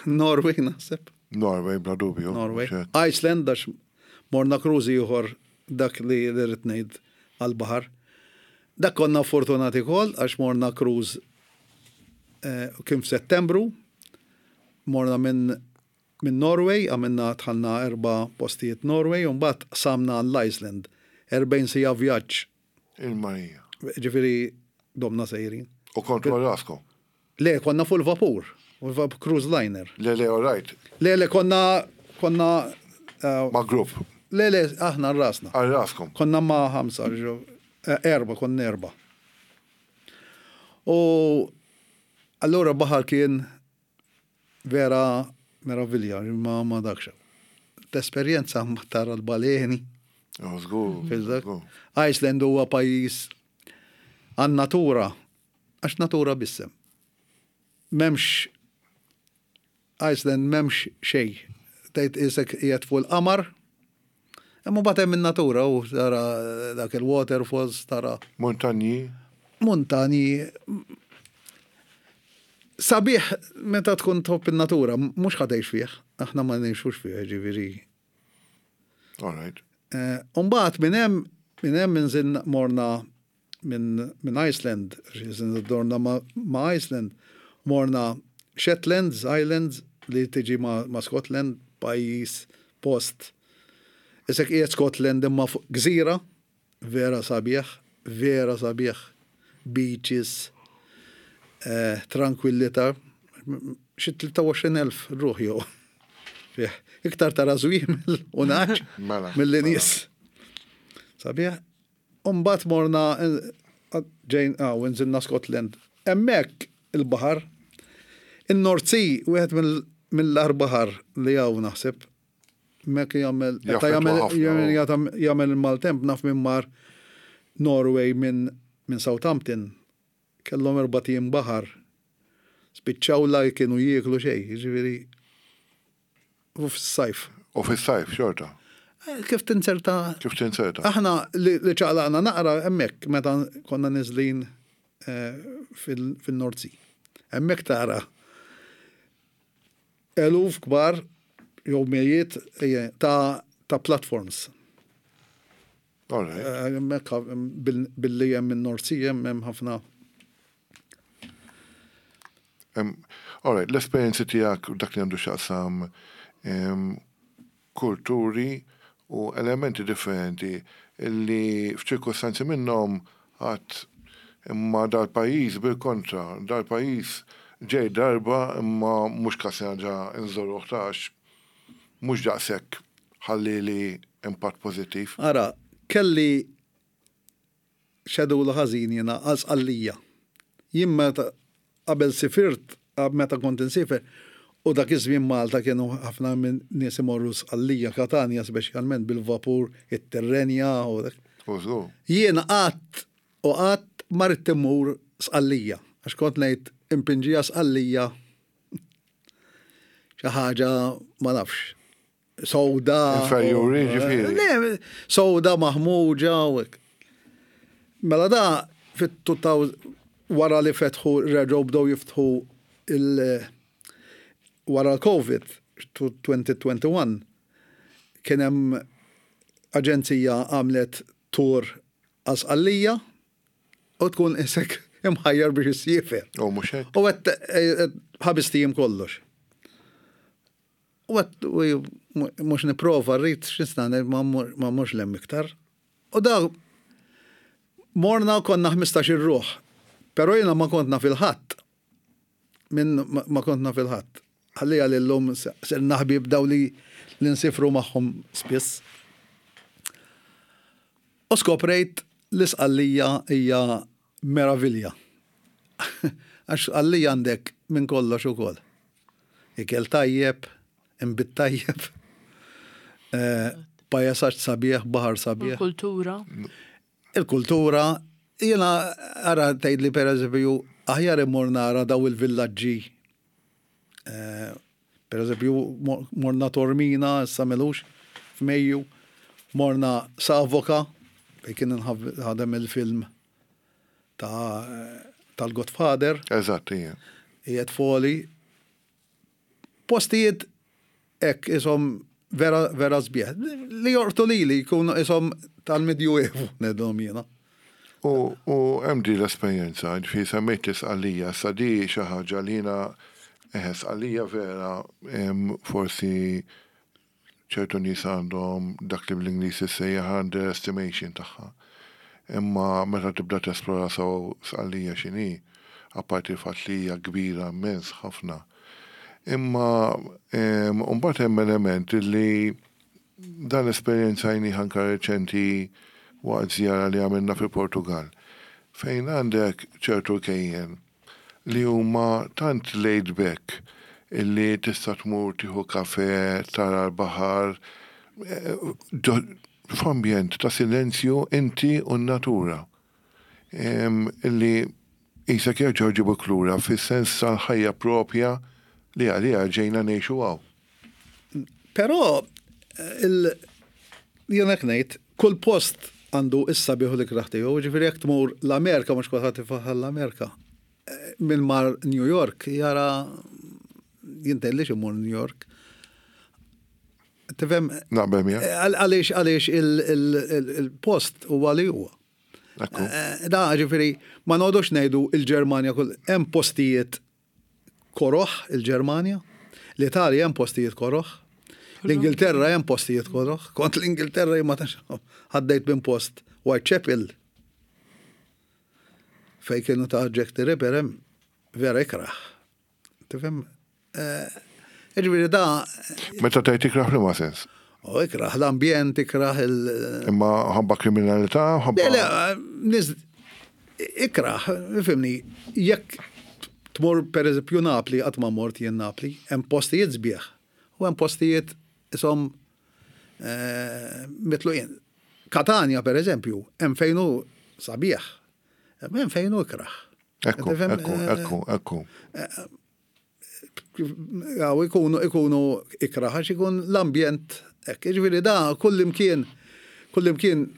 Norway naħseb. Norway, bla dubju. Norway. Xek. Iceland, għax morna cruise ieħor, dak li li rrid ngħid għal-baħar. Dak konna fortunati kol, għax morna cruise eh, kien f'Settembru, morna minn minn Norway, għamilna dħalna erba' postijiet Norway, u mbagħad samna l-Iceland. erbgħin siegħa vjaġġ. Il-Marija. Ġifieri domna sejrin. U kontu għal raskom? Le, konna fuq il-vapur, fuq il-vapur cruise liner. Le, le, all right. Le, le, konna, konna, eh, Ma' grupp. Le, le, aħna rasna. Għal raskom. Konna ma' ħamsa, ġo, eh, erba, konna erba. U allura baħar kien vera meravilja, ma, ma dakxa. L-esperjenza ma tara l-baleni. Oh, żgur, Fil-dak. żgur. Iceland huwa pajjiż għan-natura, għax natura bissem. M'hemmx Iceland, m'hemmx xejn. Tgħid isek qiegħed fuq il-qamar, imma mbagħad hemm in-natura u tara dak il-waterfalls, tara Montanji. Montani. Sabiħ meta tkun tħobb in-natura, mhux ħa tgħix fih, aħna ma ngħixux fih, ġifieri. All right. Eh, Umbagħad minn hemm minn hemm inżin morna minn minn Iceland, ġiżin dorna ma, ma Iceland, morna Shetlands Islands li tiġi ma, ma Scotland, pajjiż post. Isek qiegħed Scotland imma fuq gżira, vera sabiħ, vera sabiħ, beaches, eh, tranquillità, xi tlieta u għoxrin elf ruħ jew. Fih, iktar tara żwiemel u nagħaġ Mela, mill-li mela. nies. Sabiħ. Umbagħad morna eh, ġejn, ah, u nżilna Scotland. Hemmhekk il-baħar, in-North Sea, wieħed mill- mill-agħar baħar li hawn naħseb. Mek jagħmel, meta Jaffettwa jagħmel ħafna, jagħmel u. jagħmel jagħmel il-maltemp, naf minn mar Norway minn minn Southampton, kellhom erbat ijiem baħar. Spiċċaw la kienu jieklu xejn, jiġifieri u fis-sajf. U fis-sajf xorta. Eh, Kif tinserta? Kif tinserta? Aħna li li ċaqlaqna naqra hemmhekk meta konna niżlin eh, fil- fil-North Sea. Hemmhekk tara eluf kbar jew mijiet eh, ta' ta' platforms. All right. Eh, Hemmhekk bil- billi hemm in-North Sea hemm hemm ħafna. Em, All right, l-esperienzi tiegħek dak li għandu x'jaqsam em, kulturi u elementi differenti li f'ċirkostanzi minnhom għat imma dal-pajjiż bil-kontra, dal-pajjiż ġej darba imma mhux każ ġa nżoruh tax mhux daqshekk ħalli li impatt pożittiv. Ara, kelli schedule ħażin jiena għal Sqallija. Jien meta qabel sifirt, meta kont insifer, u dak iż-żmien Malta kienu ħafna minn nies imorru Sqallija, Katanja speċjalment bil-vapur, it-Tirrenja u dak. U żgur. Jiena qatt U qatt ma ridt immur Sqallija, għax kont ngħid impinġija Sqallija xi ħaġa ma nafx. Sowda. Inferjuri, ġifieri. Le, sowda maħmuġa u hekk. Mela da fit-elfejn wara li fetħu reġgħu bdew jiftħu il- wara l-Covid elfejn u wieħed u għoxrin kien hemm aġenzija għamlet tour għal Sqallija u tkun isek imħajjar biex issiefer. U mhux hekk. U għedt ħamest ijiem kollox. U għedt mhux nipprova rrid x'nista' ma mhux 'l hemm iktar. U da morna konna ħmistax-il ruħ. Pero jiena ma kont naf il-ħadd. Min ma kont naf il-ħadd. Ħalli għal-lum sirna ħbieb daw li l-insifru magħhom spiss. U skoprejt li Sqallija hija meravilja. Għax Sqallija għandek minn kollox ukoll. Ikel tajjeb, imbit tajjeb, eh, pajsaġġ sabiħ, baħar sabiħ. Kultura. Il-kultura, jiena ara tgħidli per eżempju, aħjar immur nara daw il-villaġġi. Eh, Per eżempju, morna Taormina, issa m'ilux, f'Mejju, morna Savoca, fej kien ħadem il-film ta' tal-Godfather. Eżatt, ija. Qiegħed foli. Postijiet hekk isom vera, vera sbieħ. Li jortu li li jkunu isom tal-Medjuevu, ngħidilhom jiena. U u hemm di l-esperjenza, ġifieri semmejt l-Isqallija, sa di xi ħaġa li jiena eħe Sqallija vera em, forsi ċertu nies għandhom dak li bl-Ingliż issejjaħ underestimation tagħha. Imma meta tibda tesplora sew Sqallija x'inhi, apparti il-fatt li hija kbira immens ħafna. Imma em, mbagħad hemm element li dan l-esperjenza jni anka reċenti waqt żjara li għamilna fil-Portugal, fejn għandek ċertu kejjen li huma tant laid back illi tista' tmur tieħu kafe, tara l-baħar, eh, ġo- f'ambjent ta' silenzju inti u n-natura. Em, Illi qisek jerġgħu jġibuk lura fis-sens tal-ħajja propja li għalija ġejna ngħixu hawn. Però il jien hekk ngħid, kull post għandu is-sabiħ u l-ikraħ tiegħu, ġifieri jekk tmur l-Amerika mhux kulħadd ifaħħar l-Amerika. Eh, Min mar New York jara jintellix imur New York. Tifhem Naqbel miegħek? għal- għaliex għaliex il- il- il- il-post huwa li huwa. Ekku. Eh, Da, ġifieri, ma noqogħdux ngħidu il-Ġermanja kull hemm postijiet koroħ il-Ġermanja, l-Italja hemm postijiet koroħ, l-Ingilterra hemm postijiet koroħ, kont l-Ingilterra jien ma tantx għaddejt minn post Whitechapel fej kienu ta' Jack the Ripper hemm vera ikraħ. Tifhem? Eh, Ġifieri da, Meta tgħid ikraħ li ma sens. u ikraħ l-ambjent, ikraħ il- Imma ħabba kriminalità, ħabba. Le, le, nies, ikraħ, fhimni, jekk tmur per eżempju Napli, qatt ma mort jien Napli, hemm postijiet sbieħ, u hemm postijiet isom eh, mitluqin. Katania per eżempju, hemm fejn hu sabiħ, hemm fejn hu ikraħ. Ekku, Tifhem, ekku, eh, ekku, ekku. Għaw, ikunu, ikunu ikraħ, għax ikun l-ambjent, hekk, ġifieri da, kull imkien, kull imkien,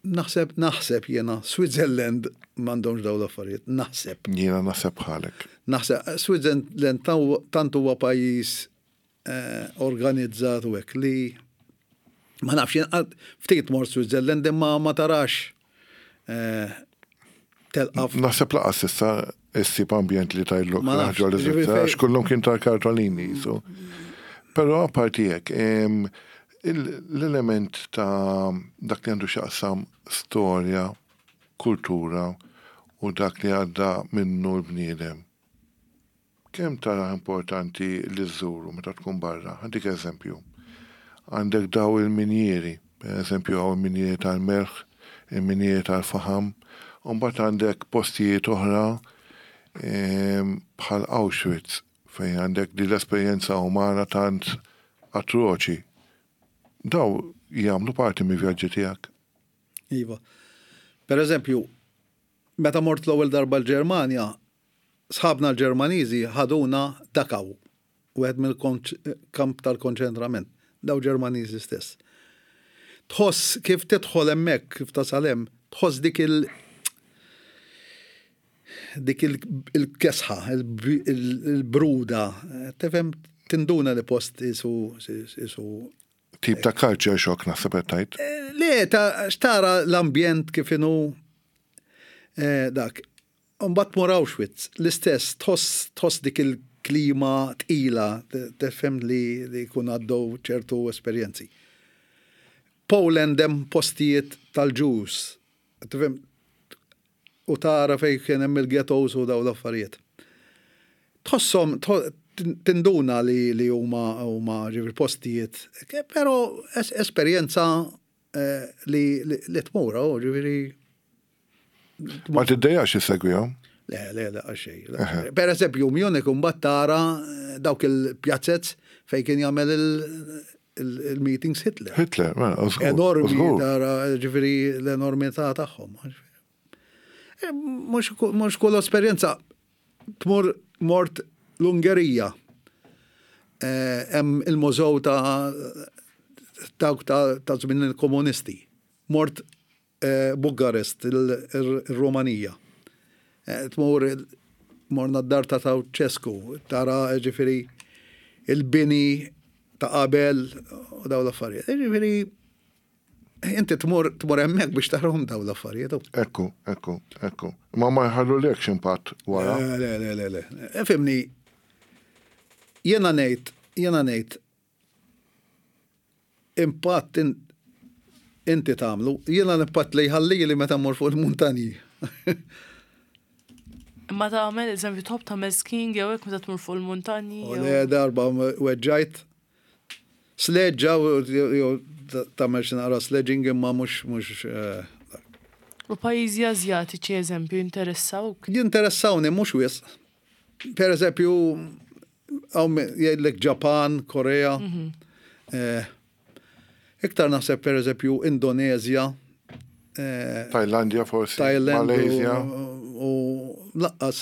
naħseb, naħseb jena, Switzerland m'għandhomx daw l-affarijiet, naħseb. Jiena naħseb bħalek. Naħseb, Switzerland tant huwa pajjiż eh, organizzat u hekk li ma nafx, jien qatt- ftit mort Switzerland imma ma tarax eh, telqa Naħseb lanqas issa issib ambjent li tajlok Ma nafx, ħaġa li ġifieri Svizzera, fej- għax kullum kien tal-kartolini. So. Però apparti hekk, em, il- l-element ta' dak li għandu x'jaqsam storja, kultura u dak li għadda minnu l-bniedem. Kemm tara importanti li żżuru meta tkun barra? Għandik eżempju. Għandek daw il-minjieri, per eżempju għaw il-minjieri tal-melħ, il-minjieri tal-faham, u mbagħad għandek postijiet oħra em, bħal Auschwitz, fejn għandek di l-esperjenza umana tant atroċi. Daw jagħmlu parti mi vjaġġi tiegħek. Iva. Per eżempju, meta mort l-ewwel darba l-Ġermanja, sħabna l-Ġermaniżi ħaduna Dachau, wieħed mill-kamp tal-konċentrament, daw Ġermaniżi stess. Tħoss kif tidħol hemmhekk, kif tasal hemm, tħoss dik il- dik il-kesħa, il-bruda, tifhem, tinduna li post isu isu Tip ta' culture shock naħseb qed tgħid. Le, ta' xtara l-ambjent kif inhu eh, dak. Mbagħad tmur Auschwitz, l-istess, tħoss tħoss dik il-klima tqila, tifhem li li jkun għaddew ċertu esperjenzi. Poland hemm postijiet tal-Jews, tifhem, u tara fej kien hemm il-ghettos u daw l-affarijiet. Tħosshom, tinduna li li huma huma ġifieri postijiet, però esperjenza eh, li li tmur, oh, ġifieri. Ma tiddejjax issegwihom? Le, le, le, xej. Per eżempju, Munich mbagħad tara eh, dawk il-pjazzez fej kien jagħmel il-meetings Hitler. Hitler, mela, Enormi, tara, ġifieri l-enormità tagħhom. Eh, mhux kull esperjenza tmur mort l-Ungerija. Eh, hemm il-mużew ta' ta' żmien il-komunisti. Mort eh, Bukarest, il-Romanija. Tmur morna d-dar ta' Ceausescu, tara ġifieri il-bini ta' qabel u daw l-affarijiet. Ġifieri inti tmur tmur hemmhekk biex tarahom daw l-affarijiet. Ekku, ekku, ekku. Ma ma jħallulekx impatt wara. Le, le, le, le. Ifhimni, jiena ngħid, jiena ngħid impatt inti tagħmlu, jiena l-impatt li jħalli li meta mmur fuq il-muntanji. Imma tagħmel, eżempju, tħobb tagħmel skiing jew hekk meta tmur fuq il-muntanji. U le darba weġġajt sleġġa jew tagħmel xi naqra sledging imma mhux mhux eh, U pajjiżi Azjatiċi, eżempju, jinteressawk? Jinteressawni mhux wisq. Per eżempju, hawn jgħidlek Ġapan, Korea. Eh, Iktar naħseb per eżempju Indonezja, eh, Tajlandja forsi, Thailand Malaysia. u, u lanqas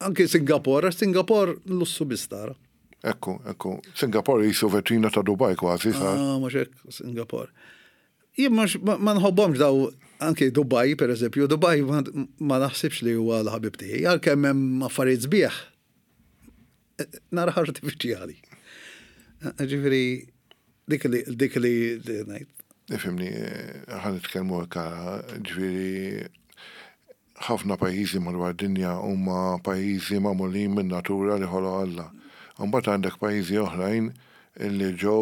anki Singapore, Singapore lussu biss tara. Ekku, ekku. Singapore jisu vetrina ta' Dubai kważi, sar. Ah, mhux hekk Singapore. Jien mhux ma ma nħobbhomx daw anki Dubai per eżempju, Dubai ma, ma naħsibx li huwa l-ħabib tiegħi, għalkemm hemm affarijiet sbieħ. Eh, Nara artifiċjali. Ġifieri dik li dik li li ngħid. Ifhimni, ħa nitkellmu hekk, ġifieri ħafna pajjiżi madwar dinja huma pajjiżi magħmulin minn natura li ħoloq Alla. Mbagħad għandek pajjiżi oħrajn li ġew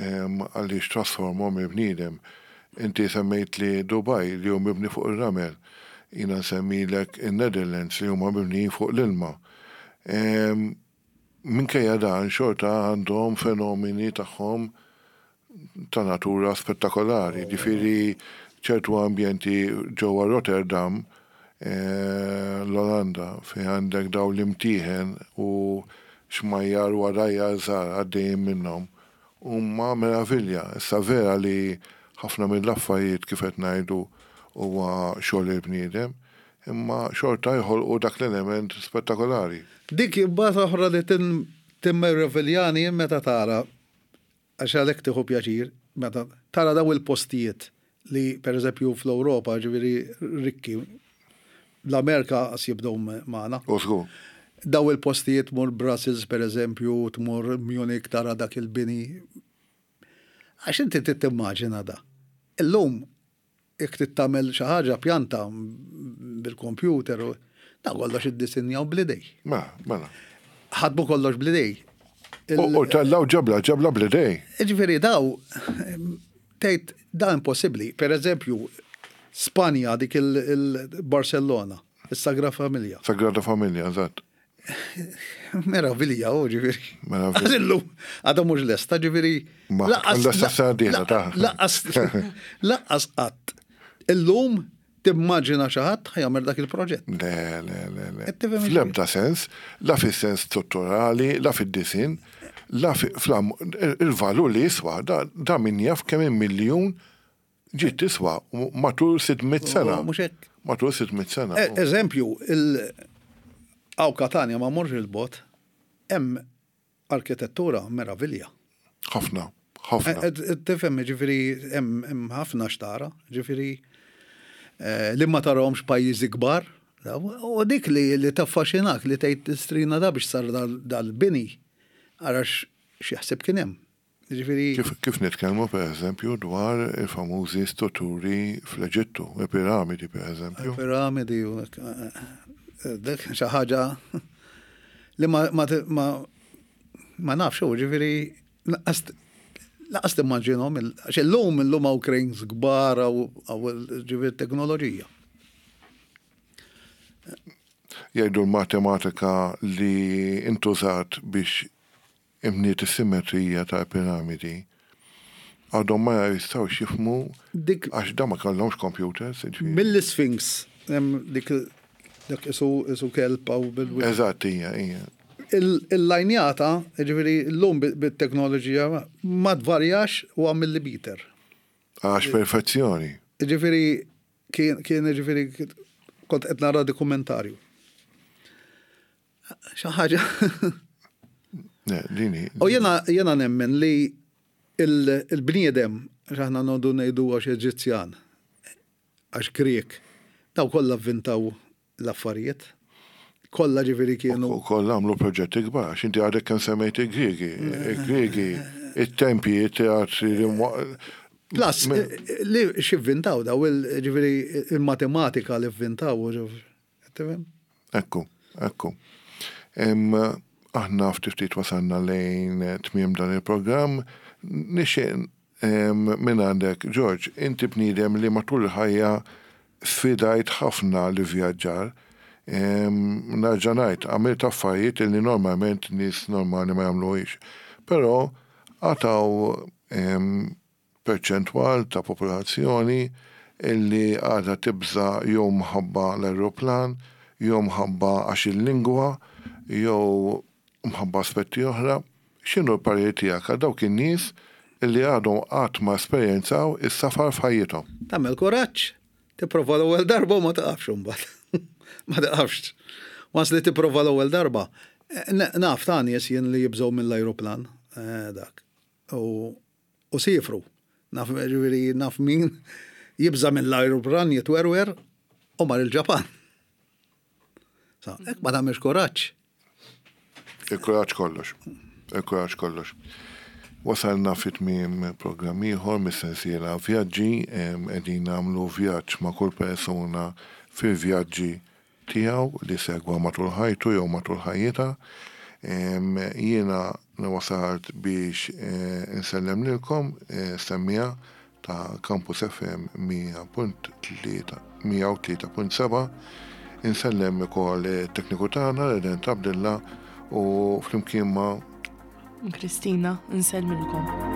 em, għaliex trasformhom il-bniedem. Inti semmejt li Dubai li hu mibni fuq ir-ramel. Jiena nsemmilek in-Netherlands li huma mibnijin fuq l-ilma. Em, Minkejja dan xorta għandhom fenomeni tagħhom ta' natura spettakolari. Ġifieri ċertu ambjenti ġewwa Rotterdam, eh, l-Olanda, fi għandek daw l-imtieħen u xmajjar u għadajjar żgħar għaddejjin minnhom. Huma meravilja. Issa vera li ħafna mill-affarijiet kif qed ngħidu huwa xogħol il-bniedem, imma xorta jħolqu dak l-element spettakolari. Dik imbagħad oħra li tin timmeraviljani meta tara għax għalhekk tieħu pjaċir, meta tara daw il-postijiet li per eżempju fl-Ewropa ġifieri rikki, l-Amerika qas jibdew magħna. U żgur. Daw il-postijiet tmur Brussels per eżempju, tmur Munich tara dak il-bini. Għax inti trid timmaġina da. Illum jekk trid tagħmel xi ħaġa pjanta bil-computer, u- da kollox iddisinjaw bl-idej. Mela, mela. Ħadmu kollox bl-idej. U u tellaw ġebla, ġebla bl-idej. Ġifieri daw, tgħid da impossibbli. Per eżempju, Spanja dik il-Barcellona, il-Sagra Familja. Sagrada Familja, eżatt. Meravilja, u ġifieri. Meravilja. Għadillu, għadha mhux lesta, ġifieri. Ma, lesta sena dieħla, ta' Lanqas, lanqas qatt. Illum timmaġina xi ħadd ħa jagħmel dak il-proġett. Le, le, le, le. Qed tifhem Fl-ebda sens, la fis-sens strutturali, la fid-disin, la fi- flam, il-valur li jiswa, da, da min jaf kemm miljun Ġiet tiswa matul sitt mitt sena. Mhux hekk. Matul sitt mitt sena. E, eżempju, hawn Katanja ma morx il-bot, hemm arkitettura meravilja. Ħafna, ħafna. E, e, tifhem, ġifieri hemm ħafna xtara, ġifieri li ma tarahomx pajjiżi kbar. U dik li li taffaxxinak li tgħid strina da biex sar dal-bini, għarax x'jaħseb kien hemm. Ġifieri. Kif, kif nitkellmu per eżempju dwar il-famużi strutturi fl-Eġittu, il-piramidi per eżempju. Il-piramidi, dik xi ħaġa li ma ma ma ma nafx u ġifieri laqas timmaġinhom, għax illum illum hawn cranes kbar hawn ġifieri teknoloġija. Jgħidu l-matematika li intużat biex imniet is-simmetrija tal-piramidi għadhom ma jistgħux jifhmu għax da ma kellhomx computers. Mill-Sphinx, dik dak isu isu kelb aw bil Eżatt, hija, hija. Il-lajnjata, ġifieri llum bit-teknoloġija ma tvarjax u għam millimeter. Għax perfezzjoni. Ġifieri kien ġifieri kont qed nara dokumentarju. Xi ħaġa. Dini. U jena jena nemmen li il-bniedem, aħna noqogħdu ngħidu għax Eġizzjan, għax Grek, daw kollha avvintaw l-affarijiet. Kollha ġifieri kienu. U kollha għamlu proġetti kbar, għax inti għadek kemm semmejt il-Griegi, il-Griegi, it-tempji, it-teatri, Plus, li x'ivvintaw daw, ġifieri il-matematika li vvintaw. Ekku, ekku. Aħna ftit ftit wasalna lejn tmiem dan il-programm. Nixtieq minn għandek, George, inti bniedem li matul il-ħajja sfidajt ħafna li vjaġġar. Nerġa' ngħid, għamilt affarijiet li normalment nies normali ma jagħmluhiex. Però għataw perċentwal ta' popolazzjoni illi għadha tibża jew mħabba l-aeroplan, jew mħabba għax il-lingwa, jew mħabba aspetti oħra. X'inhu l-parir tiegħek għal dawk in-nies illi għadhom qatt ma esperjenzaw is-safar f'ħajjithom? Tagħmel kuraġġ, tipprova l-ewwel darba u ma taqafx imbagħad. Ma taqafx. Once li tipprova l-ewwel darba, naf ta' nies jien li jibżgħu mill-ajruplan dak. U sifru. Naf ġifieri naf min jibża' mill-ajruplan jitwerwer u mar il-Ġapan. Sa, hekk ma tagħmilx kuraġġ. Il-kuraġġ kollox. Il-kuraġġ kollox. Wasalna fi tmiem programm ieħor mis-sensiela vjaġġi, qegħdin nagħmlu vjaġġ ma' kull persuna fil-vjaġġi tiegħu li segwa matul ħajtu jew matul ħajjitha. Jiena wasalt biex insellem lilkom semmija ta' Campus F M mija punt tlieta, mija u tlieta punt seba'. Insellem ukoll it-tekniku tagħna Redent Abdilla u flimkien ma' Kristina, nsellmilkom.